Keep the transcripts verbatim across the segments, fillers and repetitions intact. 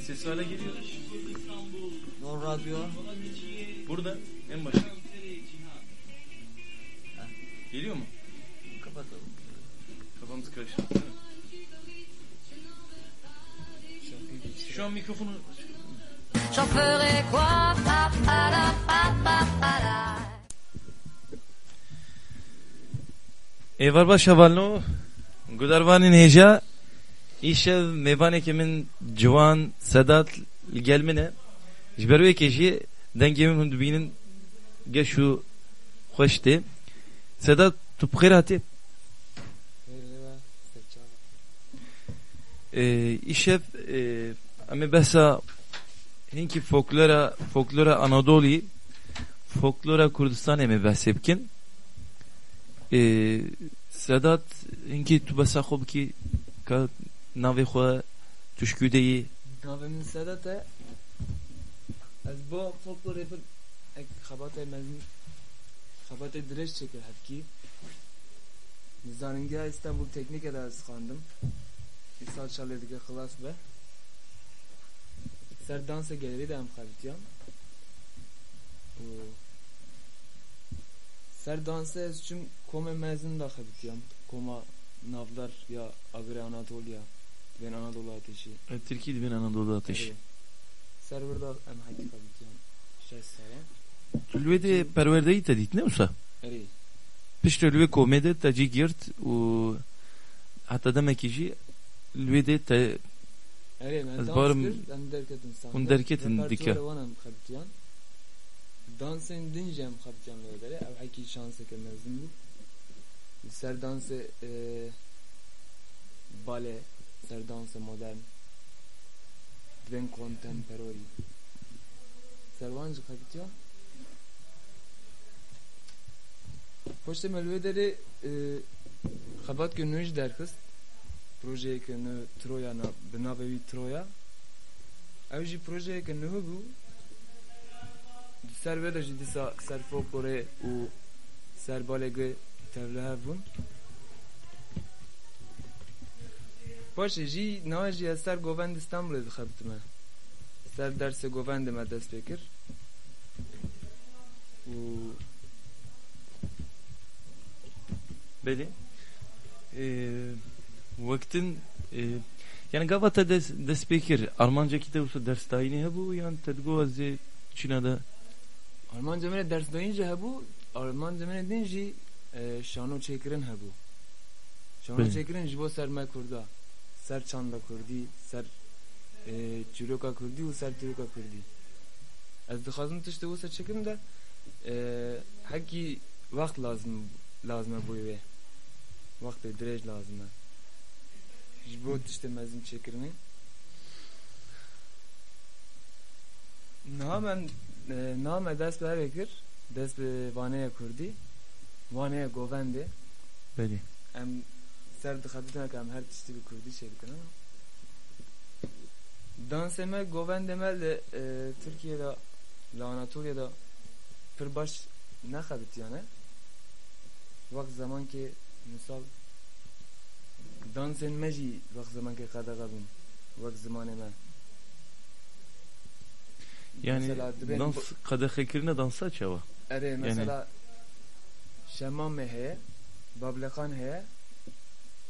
Ses hala geliyor. No radyo. Burada en başta. Geliyor mu? Kapatalım. Kafamız karıştı, değil mi? Şu an mikrofonu J'en ferai quoi? Pa, pa, la, pa, pa, pa, la. Êvar baş hevalno, gudarvanên hêja, îşev mêvanekî min ciwan Sedat li gel min e. Ji ber wê yekê jî dengê min hûn dibînin geş û xweş tê. Sedat, tu bi xêr hatî. Ee, îşev, e, em ê behsa hinkî folklora, folklora Anadolî, folklora Kurdistanê em ê behsê bikin. Ee, Sedat, hinkî tu behsa xwe bikî, ka navê xwe, tu ji kû de yî? Navê min Sedat e. Ez bo folklorê pir ek xebatê mezin, xebatê dirêj çêkir hevkî. Li Zanîngeha Îstanbul Teknîke de ez xwendim. Îsal çar lê dike xilas be. Ser dansê gelerî de em xebitiyan. Û ser dansê ez çûm komê mezin de xebitiyan. Koma navdar ya Agirê Anatolya, dibên Anadolu Ateşi. E, Tirkî dibên Anadolu Ateşi. Erê. Ser wir de em hekî xebitiyan. Şeş sala. Tu li wê de perwerdeyî te dît, ne wisa? Erê. Piştre li wê komê de te cî girt û heta demekî jî li wê de te Erê, me Ez dans barim kir, em derketin sahne. Hûn derketin Repertuara dike. wan em xebitiyan. Dansên din jî em xebitiyan li wê derê. Ew hekî şanseke mezin bû. Li ser dansê, e, bale, ser dansê modern. Dibên kontemporarî. Ser wan jî xebitiyan. Paştê me li wê derê, e, xebatkê nû jî derxist. Projeyeke nû Troya na-, bi navê wî Troya. Ew jî projeyeke nû bû. Di ser wê de jî dîsa ser folklorê û ser balê gi tevlihev bûn. Paşê jî, niha jî ez ser govendê Stenbolê dixebitime. Ser dersê govendê me dest pê kir. Û Belê. Ee, wektin, ee, yani gava te des-, dest pê kir, armancekî te wisa dersdayînê hebû yan te digot ez ê çîna de? Armanca min ê dersdayîn jî hebû, armanca min ê din jî, e, şano çêkirin hebû. Şano Belê. çêkirin ji bo ser me Kurda, ser çanda Kurdî, ser, e, çîroka Kurdî û ser dîroka Kurdî. Ez dixwazim tiştê wisa çêkim de, e, hekî wext lazim, lazim e bo wê. Wextê dirêj lazim e. Ji bo tiştê mezin çêkirinê. Niha me, e, niha me dest bi evê kir, dest bi vaneye kurdî, vaneye govendê. Belê. Em ser dixebitin ke em her tiştî bi kurdî çêdikin, ha? Dansê me, govendê me li, e, Tirkiye de, li Anatoliye de pir baş nexebitiyane. Wext zemankê misal dansên me jî wext zemankê qedexe bûn. Wek zimanê me. Yani Mesela dibên dans, bu- qedexekirine dansa çawa? Erê, Yani mesela şemamê heye, bableqan heye,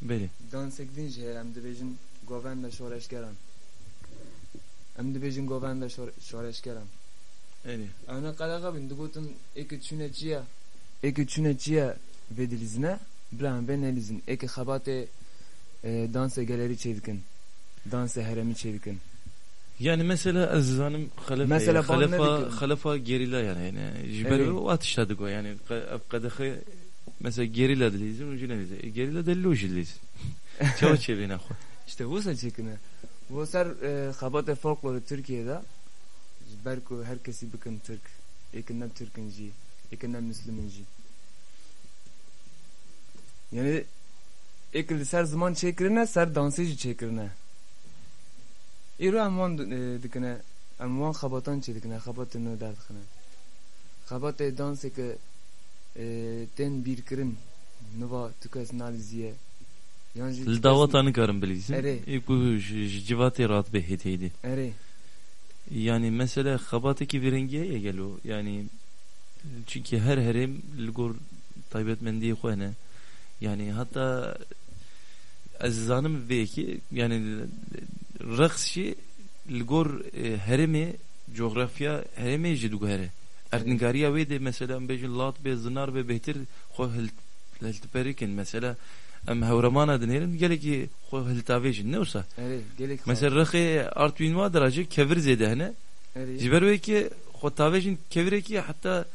Belê. dansek din jî heye, em dibêjin govenda şoreşgeran. Em dibêjin govenda şor-, şoreşgeran. Erê. Em ne qeleqa bin, digotin, êkê çûne çi ye? Êkê çûne çi ye vê dilîzine? Bila em vê nelîzin. Êkê xebatê, e, dansê gelerî çêdikin. Dansê herêmî çêdikin. Yani mesela ez zanim xelefa, Mesela xelefa, bal nedikin. xelefa gerîla yani, yani ji ber Erê. o tişta digo yani qe-, ev qedexe mesela gerîla dilîzin û jî nelîzin. E, gerîla de lo jî dilîzin. Çawa çêbîne xwe? İşte wisa çêkine. Bo ser, e, xebatê folklorê Tirkiye de ji ber ku her kesî bikin Tirk. Êkê ne Tirk in jî, êkê ne Mislim in jî. Yani êkê li ser ziman çêkirine, ser dansê jî çêkirine. Îro em wan di-, e, dikine, em wan xebatan çêdikine, xebatê nû derdixine. Xebatê dansê ke, e, tên bîrkirin, niva tu kes nalîziye. Yan jî Li tu kes daweta nikarin bilîzin. Erê. Ê ku ji, ji civatê rat bê hêdî hêdî. Erê. Yani mesela xebatekî vî rengî heye gelo? Yani çünkü her herêm li gor taybetmendiyê xwe hene. Yani hatta ez zanim vê yekê, yani reqs jî li gor, e, herêmê, coğrafya herêmê jî diguhere. Erdnîgariya wê de mesela em bêjin lat be, zinar be, bêhtir xwe hil-, hiltiperikin. Mesela em hewremana dinêrin, gelekî xwe hiltavêjin, ne wisa? Erê, gelek xwe. Mesela rexê Artwîn wa dira jî kevir zêde hene. Erê. Ji ber wê ki xwe tavêjin kevirekî, heta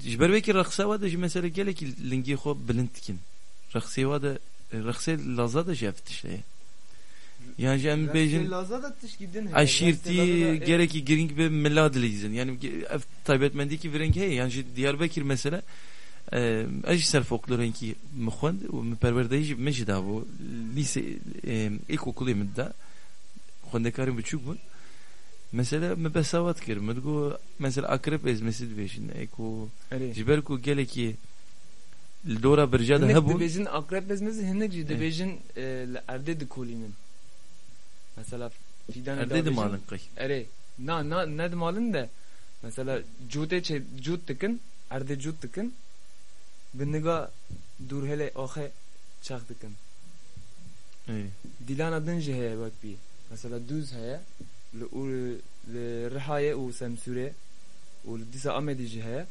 ji ber wê ki rexsa wa de jî mesela gelekî lingê xwe bilind dikin. Rexsê wa de, rexsê Laza de jî ev tişt heye. Yan jî em bêjin Rexsê Laza da tişkî din heye. Eşîrtî Rexsê Laza da, e, gelekî girîng bi mila dilîzin. Yani ge-, ev taybetmendîkî vireng heye. Yan jî Diyarbekir mesela, e, ez jî ser folklorenkî min xwend û min perwerdeyî jî min jî dabû. Lîse, e, ilkokulê min da. Xwendekarên biçûk bûn. Mesela min behsa wa dikir. Min digot, mesela akrep ezmesi dibêjin. Ê ku Erê. Ji ber ku gelekî li dora birca de Hinek hebûn. Dibêjin akrep ezmesi, hinek jî Eh. dibêjin, e, li erdê dikolînin. Mesela fîdanê Erdê dibêjin. Dimalin qey. Erê. Na, na, ne dimalin de. Mesela cotê çê, cot dikin, erdê cot dikin. Bi niga dûrhelê axê çax dikin. Ê. Dîlana din jî heye wek bî. Mesela dûz heye, li Ûr-, li Rihayê û Semsûrê û li dîsa Amedî jî heye.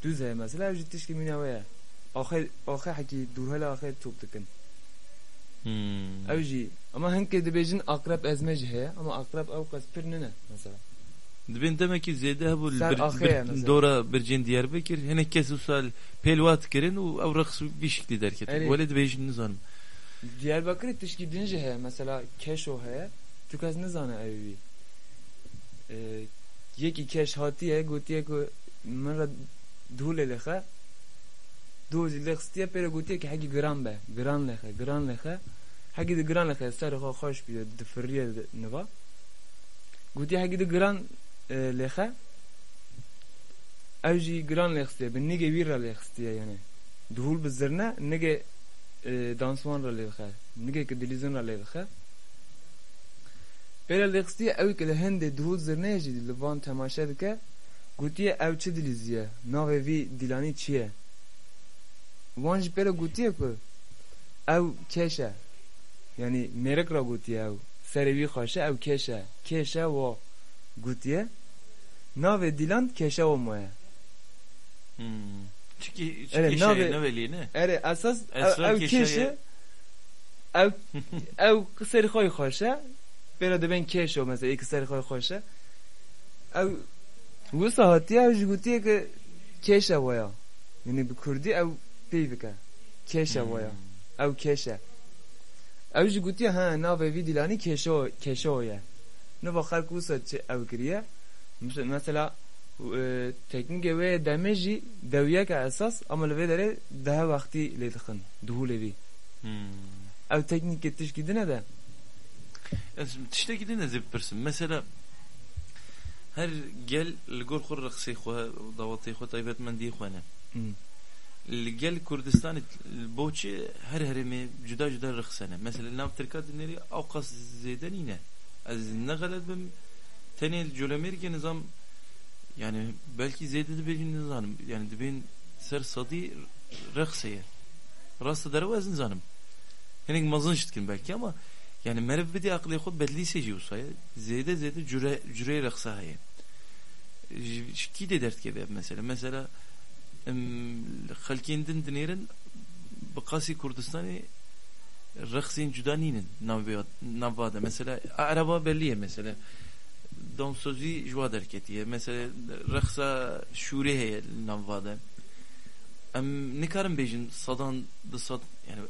Dûz heye mesela, ew jî tişkî mîna wê ye. Axê, axê hekî dûrhela axê top dikin. Hmm. Ew jî, ama hinkê dibêjin akrep ezme jî heye, ama akrep ew qas pir nine mesela. Dibên demekî zêde hebû li Ser bir, axê bir, ye mesela. Dora bircên Diyarbekir. Hinek kes wisa pêl wa dikirin û ew reqs vî şiklî derketin. Erê. Welê dibêjin nizanim. Diyarbekirê tişkî din jî heye. Mesela keşo heye. Tu kes nizane ew wî. Ee, yekî keş hatiye, gotiye ku min re dûlê lêxe. Dû jî lêxistiye, pê re gotiye ki hekî giran be. Giran lêxe, giran lêxe. Hekî di giran lêxe, serê xwe xweş bîye, difiriye niva. Gotiye hekî di giran, e, lêxe. Ew jî giran lêxistiye, bi nigê wî re lêxistiye, yani. Dihûl bi zirne, nigê, e, danswan re lêdixe. Nigê ki dilîzin re lêdixe. Pê re lêxistiye, ew ki li hindê dihûl zirneyê jî li van temaşe dike, gotiye ew çi dilîziye, navê vî dîlanî çi ye? Wan jî pê re gotiye ku ew keş e. Yanî mêrik re gotiye ew. Serê wî xweş e, ew keş e. Keşe wo gotiye. Navê dîlan Keşe wo moye. Hmm. Çikî, çi Erê, keşe navê, ye, ne welî ne? Erê, esas ew, Esra ew keşe keş e. Ye. Ew, ew serê xwe xweş e. Pê re dibên keşo mesela, ê ki serê xwe xweş e. Ew wisa hatiye, ew jî gotiye ki keşe waya. Yanî bi kurdî ew peyv dike. Keşe waya. Hmm. Ew keşe. Ew jî gotiye, ha, navê vî dîlanî keşo, keşo ye. Niva xelk wisa çi ew kiriye. Mes-, mesela, e, teknîkê wê demê jî dewiyeke esas, ama li vê derê daha wextî lê dixin, dihûlê vî. Hmm. Ew teknîkê tişkî din e de. Ez tiştekî din ez ê bipirsim. Mesela, her gel li gor xwe rexsê xwe, dawetê xwe, taybetmendiyê xwe ne. Hmm. Li gel Kurdistanê, bo çi her herêmê cuda cuda rexs hene? Mesela, li nav Tirka dinêrî ewqas zêde nîne. Ez ne xelet bim, tenê li Colemêrgê nizam, yani belkî zêde dibêjin, nizanim. Yani dibên ser sedî rexsê ye. Rasta derew ez nizanim. Hinek mezin jî dikin belkî ama yani meriv bidî aqilê xwe, Bedlîsê jî wisa ye. Zêde zêde cure, cureyê rexsa heye. Ji, ji kî dê derdikeve ev mesele? Mesela, em, xelkên din dinêrin bi qasî Kurdistanê rexsên cuda nînin navê, nava de. Mesela, Ereba belî ye mesela. Dansozî ji wa derketiye. Mesela, rexsa şûrê heye li nava de. Em nikarin bêjin sedan, du sed, yani,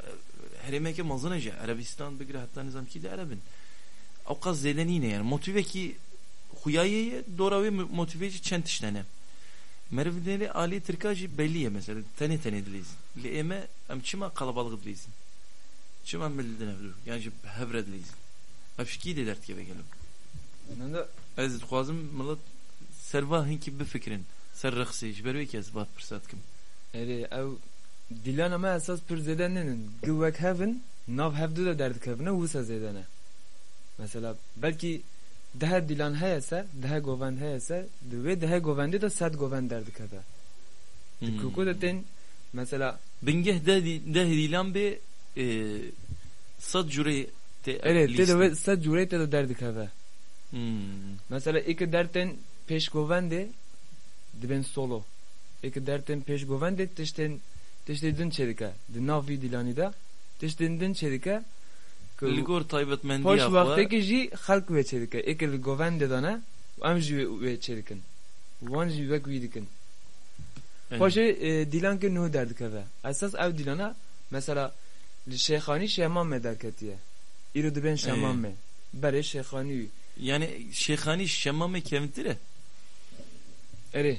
herêmeke mezin e jî, Erebistan bigire heta nizam kî de Ereb in. Ewqas zêde nîne, yani, motivekî xuya ye, dora wê mo-, motivê jî çend tişt hene. Meriv dinêrê alî Tirka jî belî ye, mesela, tenê tenê dilîzin. Lê ê me, em çima qelebalix dilîzin? Çima em li din hev du, yan jî bi hev re dilîzin? Ev ji kî dê derdikeve gelo? Nanda. Ez dixwazim milet ser va hinkî bifikirin, ser rexsê, ji ber wê ki ez va pirsa dikim. Erê, ew dîlana me esas pir zêde nînin. Gi wek hev in, nav hev du de derdikevine, wisa zêde ne. Mesela, belkî Dehe dîlan heye se, dehe govend heye se, di wê dehe govendê de sed govend derdikeve. Di Hmm. kuku de tên, mesela Bingeh deh dî-, deh dîlan bê, e, sed curê tê Erê, tê de lîstin. Wê sed curê tê de derdikeve. Hmm. Mesela ê ke dertên pêşgovendê dibên solo. Ê ke dertên pêşgovendê tiştên, tiştê din çêdike. Di nav vî dîlanî de tiştên din çêdike. Ku Li gor taybetmendiya paş xwe. Wextekî jî xelk wê çêdike. Ê ke li govendê de ne, em jî wê, wê çêdikin. Wan jî wek wî dikin. Evet. Paşê, e, dîlankê nuh derdikeve. Esas ew dîlana, mesela, li Şêxanî Şemamê derketiye. Îro dibên Ee. Şemamê. Berê Şêxanî. Yani Şêxanî Şemamê kevintir e? Erê.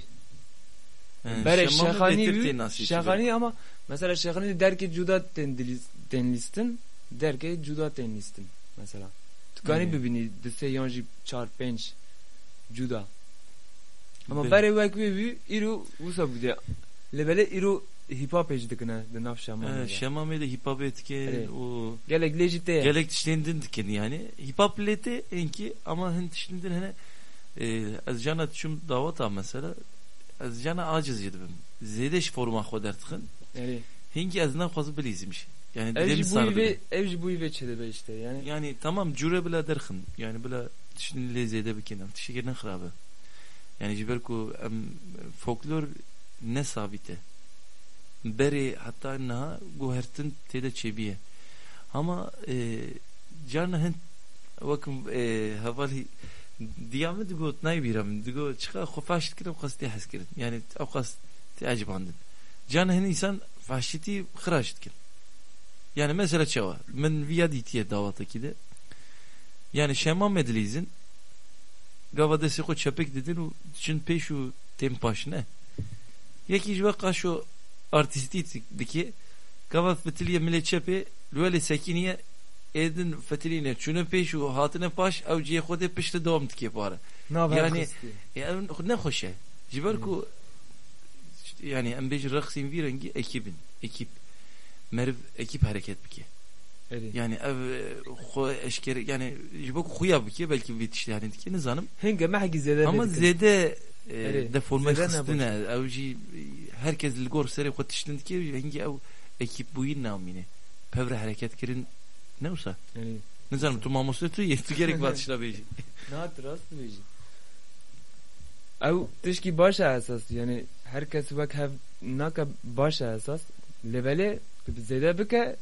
Ee, Berê Şemamê Şêxanî bêtir wî, tê nasî Şêxanî ama, mesela, Şêxanî derkê cuda tên dilîs-, tên lîstin, derkê cuda tên lîstin, mesela. Tukanî Ee. bibînî, di sê yan jî çar, pênc cuda. Ama Be- berê wek wê wî, îro wisa bû de. Lê belê îro hîpapê jî dikine di nav Şemamê Ee, de. Şemamê de hîpapê dike Evet. û Gelek lê jî tê. Gelek tiştên din dikin yani. Hîpap lê tê enkî ama hin tiştên din hene, e, ez cana çûm daweta mesela, ez cana aciz jî dibim. Zêde ji forma xwe derdixin. Erê. Hinkî ez naxwazim bilîzim jî. Yani Ev dilê jî min sar bûyî vê, dibe. Ev jî bûyî vê çêdibe işte yani. Yani tamam cure bila derxin. Yani bila tiştên lê zêde bikin. Ev tiştekî ne xirab e. Yani ji ber ku em folklor ne sabît e. Berê heta niha guhertin tê de çêbîye. Ama, e, carna hin wek, e, hevalî diya min digot, nayê bîra min, digot, çiqa xwe faş dikirin, xwestê hez kirin. Yani ew qas tê ecibandin. Carna hin însan faşîtî xiraş dikin. Yani mesela çawa? Min viya dîtiye dawatekî de. Yani Şemamê dilîzin, gava destê xwe çepik didin û diçin pêş û tên paş ne. Yekî ji we qaşo artîstî dike, gava fitiliyê milê çepê, li welê sekiniye, êdin fitilîne, çûne pêş û hatine paş, ew cihê xwe dê pişte dewam dike pare. Nav her Yani, xistî. e, ev ne xweş e. Ji ber Hmm. ku, yani, em bêjin reqsên vî rengî ekîb in. Ekîb. Meriv ekîb hereket bike. Erê. Yani ev, e, xwe eşkere, yani ji bo ku xuya bike, belkî vê tiştê hanê dike, nizanim. Hinge mehekî zêde Ama vê dikin. zêde, e, Erê, deforme zêde xistine. nebû. Ew jî, e, herkes li gor serê xwe tiştin dike, hingî ew ekîp bûyîn namîne. Pevre hereket kirin ne wisa? Erê. Nizanim, tu mamoste tu yê, tu gerek va tişta bêjî. Na, tu rast dibêjî. Ew tişkî baş e esas, yani her kes wek hev nake baş e esas. Lê belê tu bi zêde bike,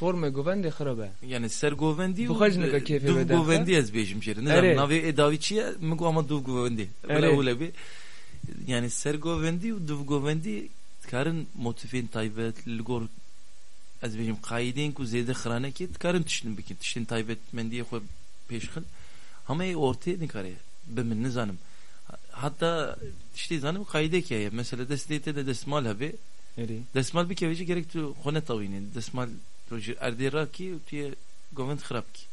formê govendê xirab e. Yani sergovendî û Bixwe jî nika kêfê duv wê derxe. govendî ez bêjim jê re. Nizam Erê. navê ê dawî çi ye? Min got ama duv govendî. Bila Erê. wile bê. Yani sergovendî û duv govendî dikarin motîfên taybet li gor, ez bêjim, qaîdeyên ku zêde xirane ke dikarin tiştin bikin. Tiştên taybetmendiyê xwe pêşxin. Hema ê ortê nikare. Bi min nizanim. Hatta tiştê zanim qaîdek heye. Mesela destê te de destmal hebe. Erê. Destmal bikeve jî gerek tu xwe netawînî. Destmal tu ji erdê rakî û tu yê govend xirab kî.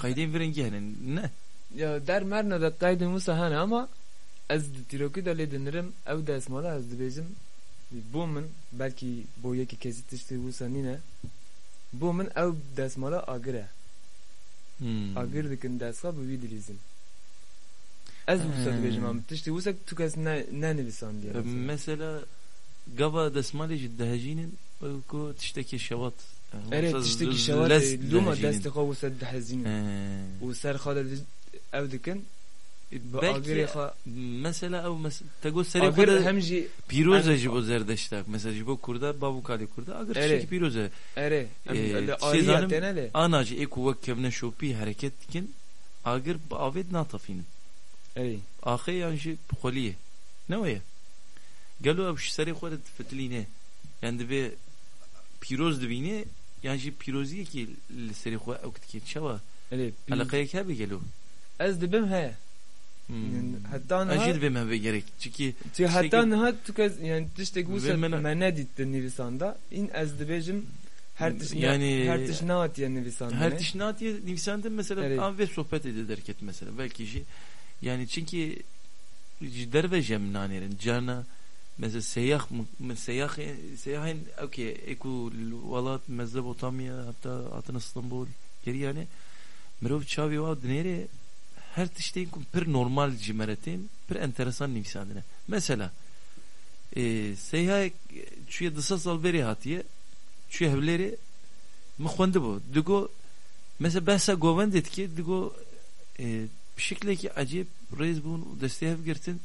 Qaîdeyên vê rengî hene. Ne. Ya, der merna de qaydên wisa hene ama ez di tîrokî de lê dinirim, ew destmala ez dibêjim, bo min, belkî bo yekî kesî tiştê wisa nîne, bo min ew destmala agir e. Hmm. Agir dikin destxa bi wî dilîzin. Ez wisa He. dibêjim, em tiştê wisa tu kes ne, ne nivîsandiye mesela. Mesela, gava desmalê jî dihejînin, wek ku tiştekî şewat. Erê, Wisa tiştekî z-, şewat, lez e, loma dihejînin. Destê xwe wisa dihejînin. He. Û ser xwe de ev dikin, E, bi belkî agirê xwe mesela ew mes-, te got serê xwe agir de hem jî pîroz e em ji bo Zerdeştak. Mesela ji bo Kurda, bav û kalê Kurda, agir Erê. Tiştekî pîroz e. Erê, em E, li tiştê aliyê zanim, têne lê. Ana jî ê ku wek kevneşopî hereket dikin, agir bi avê dinatafînin. Erê. Axê yan jî xweliyê. Ne wê ye? Gelo ew ji serê xwe re difitilîne? Yan divê pîroz dibîne, yan jî pîroziyekî li serê xwe ew dike? Çawa? Erê, pî- Eleqeyek hebe gelo? Ez dibim heye. Hmm. Heta niha Ez jî dibêm hebe gerek. Çikî tu tiştekî heta niha tu kes, yani tiştek wisa Vê min me nedît di nivîsan de. În ez dibêjim her tişt ne-, Yani her tişt nehatiye nivîsandinê. Her tişt nehatiye nivîsandin, mesela, Erê. An vê sohbetê de derket, mesela. Belkî jî, yani, çinkî ji derve jî em nanêrin. Carna, mesela, seyax, seyaxê, seyahên, okey, ê ku li welat Mezopotamya, heta hatin Istanbul, gerî, yani, mirov çavê wa dinêrê, her tiştên ku pir normal ji me re tên, pir enteresan nivîsandine. Mesela, e, Seyha çûye du sed sal berê hatiye, çûye Hewlêrê, min xwendibû. Digo, mesela behsa govendê dike, digo, e, bi şiklekî ecêb rêz bûn û destê hev girtin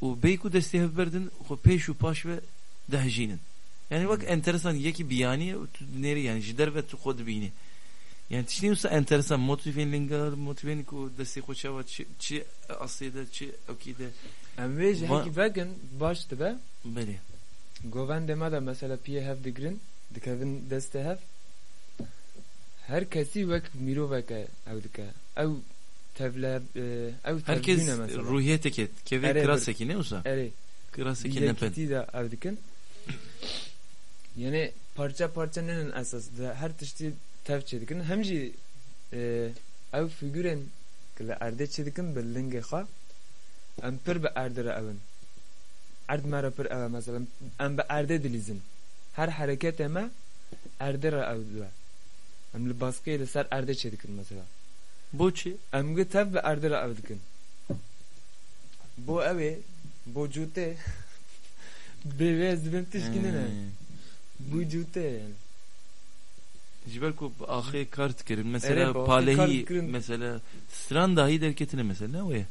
û bêyî ku destê hev berdin, xwe pêş û paş ve dihejînin. Yani wek enteresan yekî biyanî ye û tu dinêrî, yani ji derve tu xwe dibînî. Yani tiştên wisa enteresan, motivên lingar, motivên ku destê xwe çawa çi, çi aslê de, çi ewkî de. Em vê ji Va- hekî vekin baş dibe. Belê. Govendê me de mesela piyê hev digirin, dikevin destê hev. Her kesî wek miroveke ew dike. Ew tevle, e, ew Herkes tevlîne mesela. Ruhiyeteke, kevê Erê, bir- kirasekî ne wisa? Erê. Kirasekî ne pen. Yekîtî de ev dikin. Yani parça parça nenin esas. Di her tiştî tev çêdikin. Hem jî, e, ew figurên ku li erdê çêdikin bi lingê xwe, em pir bi erdê re ew in. Erd me re pir ew e mesela. Em bi erdê dilîzin. Her hereketê me erdê re ew dibe. Em li baskiyê li ser erdê çêdikin mesela. Bo çi? Em gi tev bi erdê re ew dikin. Bo ew ê, bo cûtê. Bê wê ez dibêm tişkî nene. Hmm. Bo cûtê yani. Ji ber ku axê kar dikirin, mesela Erê, bi axê kar palehî, dikirin. Mesela stran dahî derketine mesela, ne wê?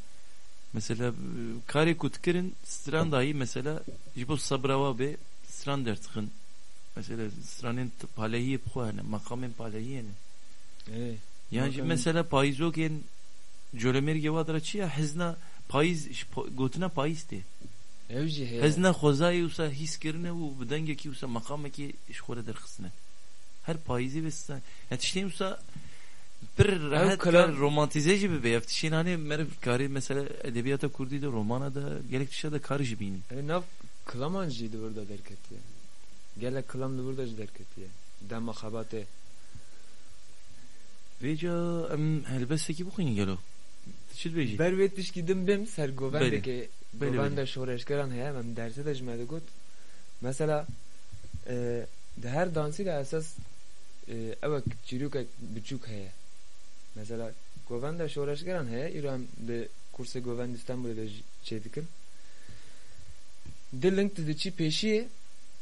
Mesela, e, karê ku dikirin, stran dahî mesela ji bo sebra wa bê, stran derdixin. Mesela stranên t-, palehiyê bi xwe hene, meqamên palehiyê ne. Ê, Yan jî meqamên- mesela payîzokên Colemêrgê wa dira çi ya? Hezna payîz, ji po-, gotina payîz tê. Ew jî heye. Hezna xwezayê wisa hîs kirine û bi dengekî wisa meqamekî ji xwe re derxistine. Her payîzê ve stan. Ya tiştên wisa pir Ew rehet kar romantîze jî bibe. Ya tiştên hanê meriv karê mesela edebiyata kurdî de, romana de, gelek tişta de kar jî bînin. Ew nav kilaman jî li wir de derketiye. Gelek kilam li wir de jî derketiye. Dema xebatê. Vêca em helbestekî bixwînin gelo. Tu çi dibêjî? Ber wê tişkî din bêm ser govendekê, Belê. Belê, govenda belê. Şoreşgeran heye, em derse de ji me digot. Mesela, e, di her dansî de esas, e, ewek çîrokek biçûk heye. Mesela, govenda şoreşgeran heye, îro em li kursê govend Îstanbulê de jî çêdikin. Di ling tu diçî pêşiyê,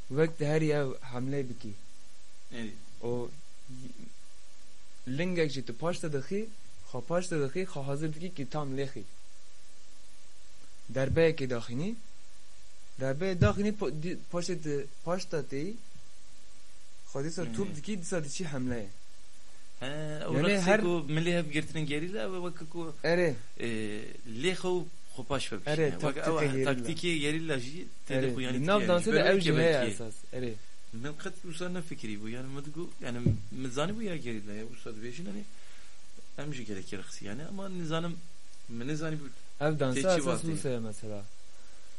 wek diherî ew hemlê bikî. Ê. Û lingek jî tu paş de dixî, xwe paş de dixî, xwe hazir dikî ki tam lêxî. Derbeyekê daxînî. Derbeyê daxînî po-, di-, paşê tu paş de têyî. Xwe dîsa Hı. top dikî, dîsa diçî hemleyê. He, ew Yani reqsê her ku milê hev girtinin gerîla, ew e weke ku, Erê. e, lê xew xwe paş ve Erê, bişîne. Weke ew taktîkê gerîla. Taktîkê gerîla jî tê de Erê. Xwe yani Di nav dikeye. Dansê Ji de ber ew weke jî heye belkê. Esas. Erê. Min qet wisa nefikirî bû. Yani min digo, yani min zanî bû ya gerîla ya. Wisa dibêjin hani em jî gelekî reqsî yani. Ama nizanim, min nizanî bû Ev dansa tê çi esas vatê. Wisa ye mesela.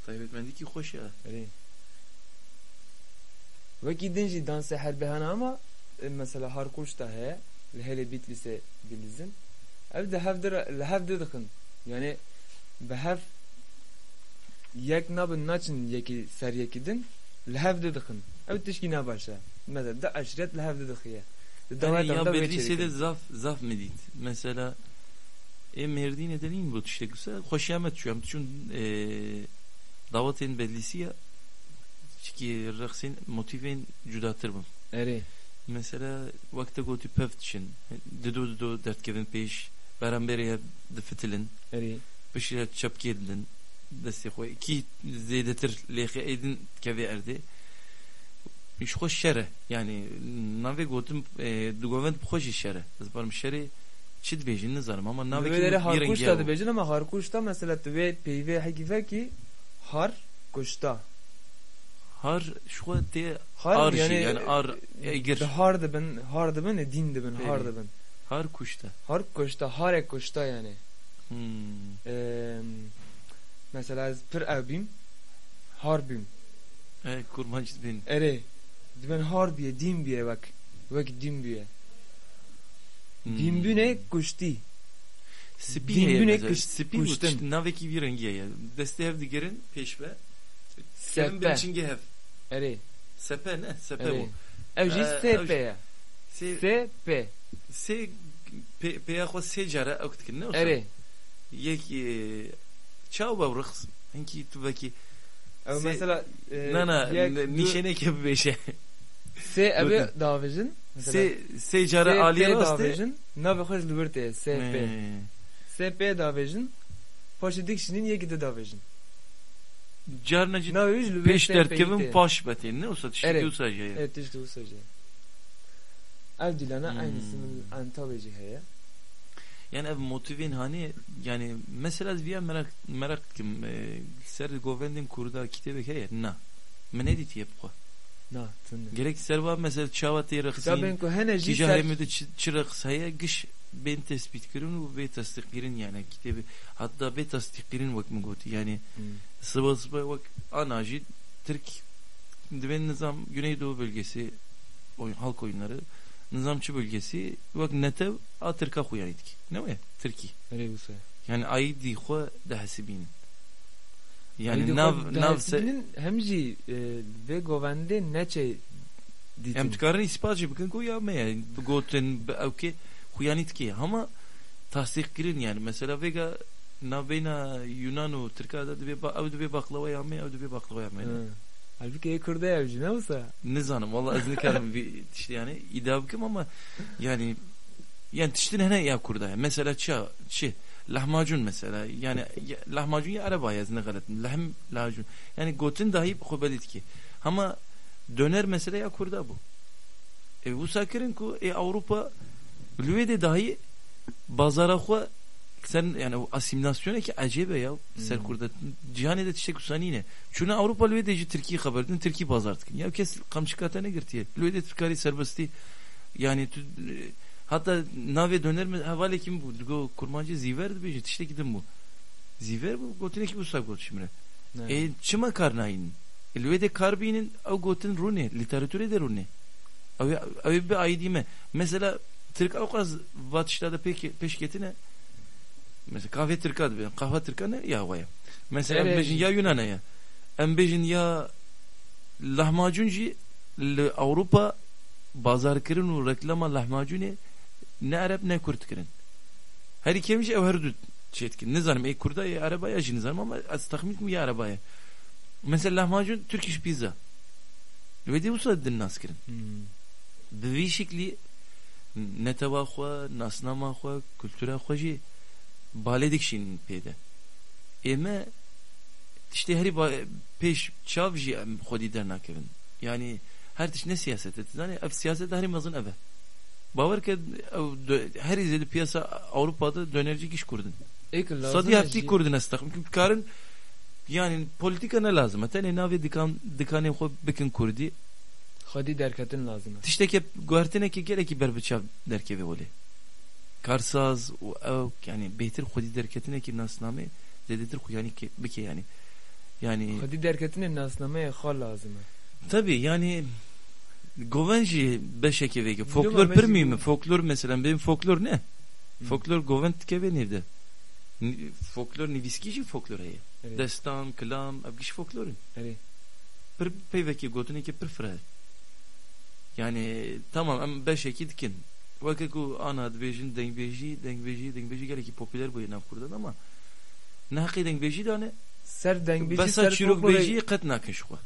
Taybetmendîkî xweş e. Erê. Wekî din jî dansê herbê hene ama, e, mesela Harkuşta heye, li hêlê Bîtlîsê bilîzin. Ev di hev di re, li hev di dixin. Yani bi hev yek nabin naçin yekî ser yekî din, li hev di dixin. Ew tişkî ne baş e. Mesela di eşîret li hev di dixiye. Di Erê, dawetê ya de vê Bedlîsê de çêdikin. Zaf, zaf min dît. Mesela ê Mêrdînê de nîn bû tiştek wisa. Xweşiya me diçû. Em diçûn, e, dawetên Bedlîsiya çikî rexsên motîfên cudatir bûn. Erê. Mesela, wek te gotî pev diçin, dido dido derdikevin pêş, beramberê hev difitilin. Erê. Piştre çepkê didin destê xwe. Kî zêdetir lêxê êdin kevê erdê. Ji xwe şer e. Yani, navê gotin, e, digovend bi xwe jî şer e. Ez barim şerê çi dibêjin nizanim ama Li navekî wê derê wî rengî Harkuşta ye. Dibêjin ama Harkuşta mesela tu vê peyvê hekî vekî har kuşta. Har ji xwe tê Har ar jî, yani, yani ar, e, egir. Di har dibin, har dibin, e, dîn dibin, har Belê. Dibin. Har kuşta. Har kuşta, harê kuşta yani. Hmm. Em, mesela ez pir ew bîm, har bîm. E, kurmanc dibin. Erê, dibin har biye, dîn biye wek, wek dîn biye. Hmm. Dînbûnê kuştî. Spî Dînbûnê heye mesela. Kuş-, Spî û kuştin. Tişt-, navekî vî rengî heye. Destê hev digirin pêş ve. Sepe. Kevin bin çingê hev. Erê. Sepe ne? Sepe Erê. Bû. Ew jî Ee, sê ew pê jî ye. Sê, Sê pê. Sê pê, pêya xwe sê cara ew dikin, ne wisa? Erê. Yek, e, çawa ew reqs? Hinkî tu vekî Ew sê-, mesela, e, na, na, yek, ne-, du, nîşeneke bibêje. Sê ev ê Gotin. Davêjin, mesela. Sê, sê cara Sê aliyê pê rast e. Davêjin, navê xwe ji li wir tê, sê pê. He. Sê pê davêjin, paşê dik şînin, yekî di davêjin. Carna jî Navê wî ji li wir pêş tê, pêyî derdkevin tê. Paş betên, ne? Wisa tiştekî Erê. Wisa jî heye. Erê, tiştî wisa jî. Ev dîlana Hmm. Eynîsî min Antalya jî heye. Yani ev motivên hanê, yani mesela ez viya merak, merak dikim, e, ser govendên Kurda kitêbek heye? Na. Min nedîtiye bi xwe. Na, tune. Gerek ser va mesela çawa tê rexsîn, Kitabên ku hene jî kîja ser herêmê de çi, çi reqs heye, giş bên tespîtkirin û bê tasdîqkirin yani kitêbê, hatta bê tasdîqkirin wek min gotî yani Hmm. siba siba wek ana jî Tirk dibên nizam Güneydoğu bölgesi, oy-, halk oyunları, nizamçı bölgesi, wek netew a Tirka xuyanî dikî. Ne wê? Tirkî. Erê wisa. Yani aîdî xwe dihesibînin. Yani Aîdî nav, xwe nav se- dihesibînin, hem jî, e, vê govendê neçe dîtin. Em dikarin îspat jî bikin ku ya me ye. Gotin, bi ew kê xuyanî dikê. Hema tasdîq kirin yani. Mesela vêga navbeyna Yunan û Tirka de dibê ba-, ew dibê baklawaya me, ew dibê baklawaya me ne. Hı. Halbuki ê Kurda ya jî ne wisa? Nizanim, vallahi ez nikarim vî tiştî yani îdia bikim ama yani, yani tiştin hene ya Kurda ya. Mesela ça, çi? Lahmacun mesela. Yani ya, lahmacun ya Ereba ya, ez ne xeletim. Lehm lahmacun. Yani gotin dahi xwe belî dikê. Hema döner mesela ya Kurda bû. E, wisa kirin ku ê Ewropa li wê de dahi bazara xwe ser, yani o asîmîlasyonekî ecêb e ya, ser Hmm. Kurda. Cîhanê de tiştek wisa nîne. Çûne Ewropa li wê de ji Tirkî xeber din, Tirkî bazar dikin. Ya kes qamçika te negirtiye. Li wê de tu karî serbestî, yani tu, e, hatta navê döner mi hevalekî min bû, digo kurmancî zîver dibêje, tiştekî din bû. Zîver bû, gotinekî wisa got ji min re. Ne. E, çima kar nayînin? E, li wê de kar bînin, ew gotin rûnê, lîteratûrê de rûnê. Ew ê, ew ê bi aîdî me. Mesela, Tirk ewqas va tişta de pêk-, pêş ketine. Mesela, kafê Tirka dibe, qahwe Tirka ne ya we ye. Mesela, em Erê. Bêjin ya Yunana ye. Em bêjin ya lahmacun jî li Ewropa bazarkirin û reklama lahmacunê ne Ereb ne Kurd kirin. Herî kêm jî ew her du çê dikin. Nizanim, ê Kurda, ê Ereba ya jî nizanim ama ez texmîn dikim ya Ereba ye. Mesela lahmacun, Turkish pizza. Li wê dê wisa din nas kirin. Hmm. Bi vî şiklî netewa xwe, nasnama xwe, kultura xwe jî balê dikişînin pê de. Ê me tiştê herî ba-, pêş çav jî em xwedî dernakevin. Yani her tişt ne siyaset e, tu zanî, ev siyaset herî mezin ev e. Bawer ke ew dö-, herî zêde piyasa Ewropa de dönerci giş Kurd in. Ê ki lazim Sedî e heftî jî. Kurd in ez texmîn kim dikarin, yani polîtîka ne lazim e. Tenê navê dikan, dikanê xwe bikin Kurdî. Xwedî derketin lazim e. Tiştekê guhertinekê gelekî berbiçav derkeve welê. Karsaz û ew, yani bêhtir xwedî derketinekî nasnamê zêdetir xwe yani ke-, bike yani. Yani Xwedî derketinê nasnameyê xwe lazim e. Tabii, yani goven jî beşekê vê ke. Folklor pir mühim e. Folklor mesela, benim folklor ne? Hı. Folklor goven dikeve nêv de. Ni-, folklor nivîskî jî folklor heye. Evet. Destan, kilam, ev giş folklor in. Evet. Pir peyvekê gotinekê pir fireh e. Yani tamam, em beşekî dikin. Weke ku ana dibêjin dengbêjî, dengbêjî, dengbêjî gelekî popüler bûye nav Kurdan ama ne heqê dengbêjî dane. Ser dengbêjî, besa ser çîrokbêjiyê folklorê qet nakin ji xwe.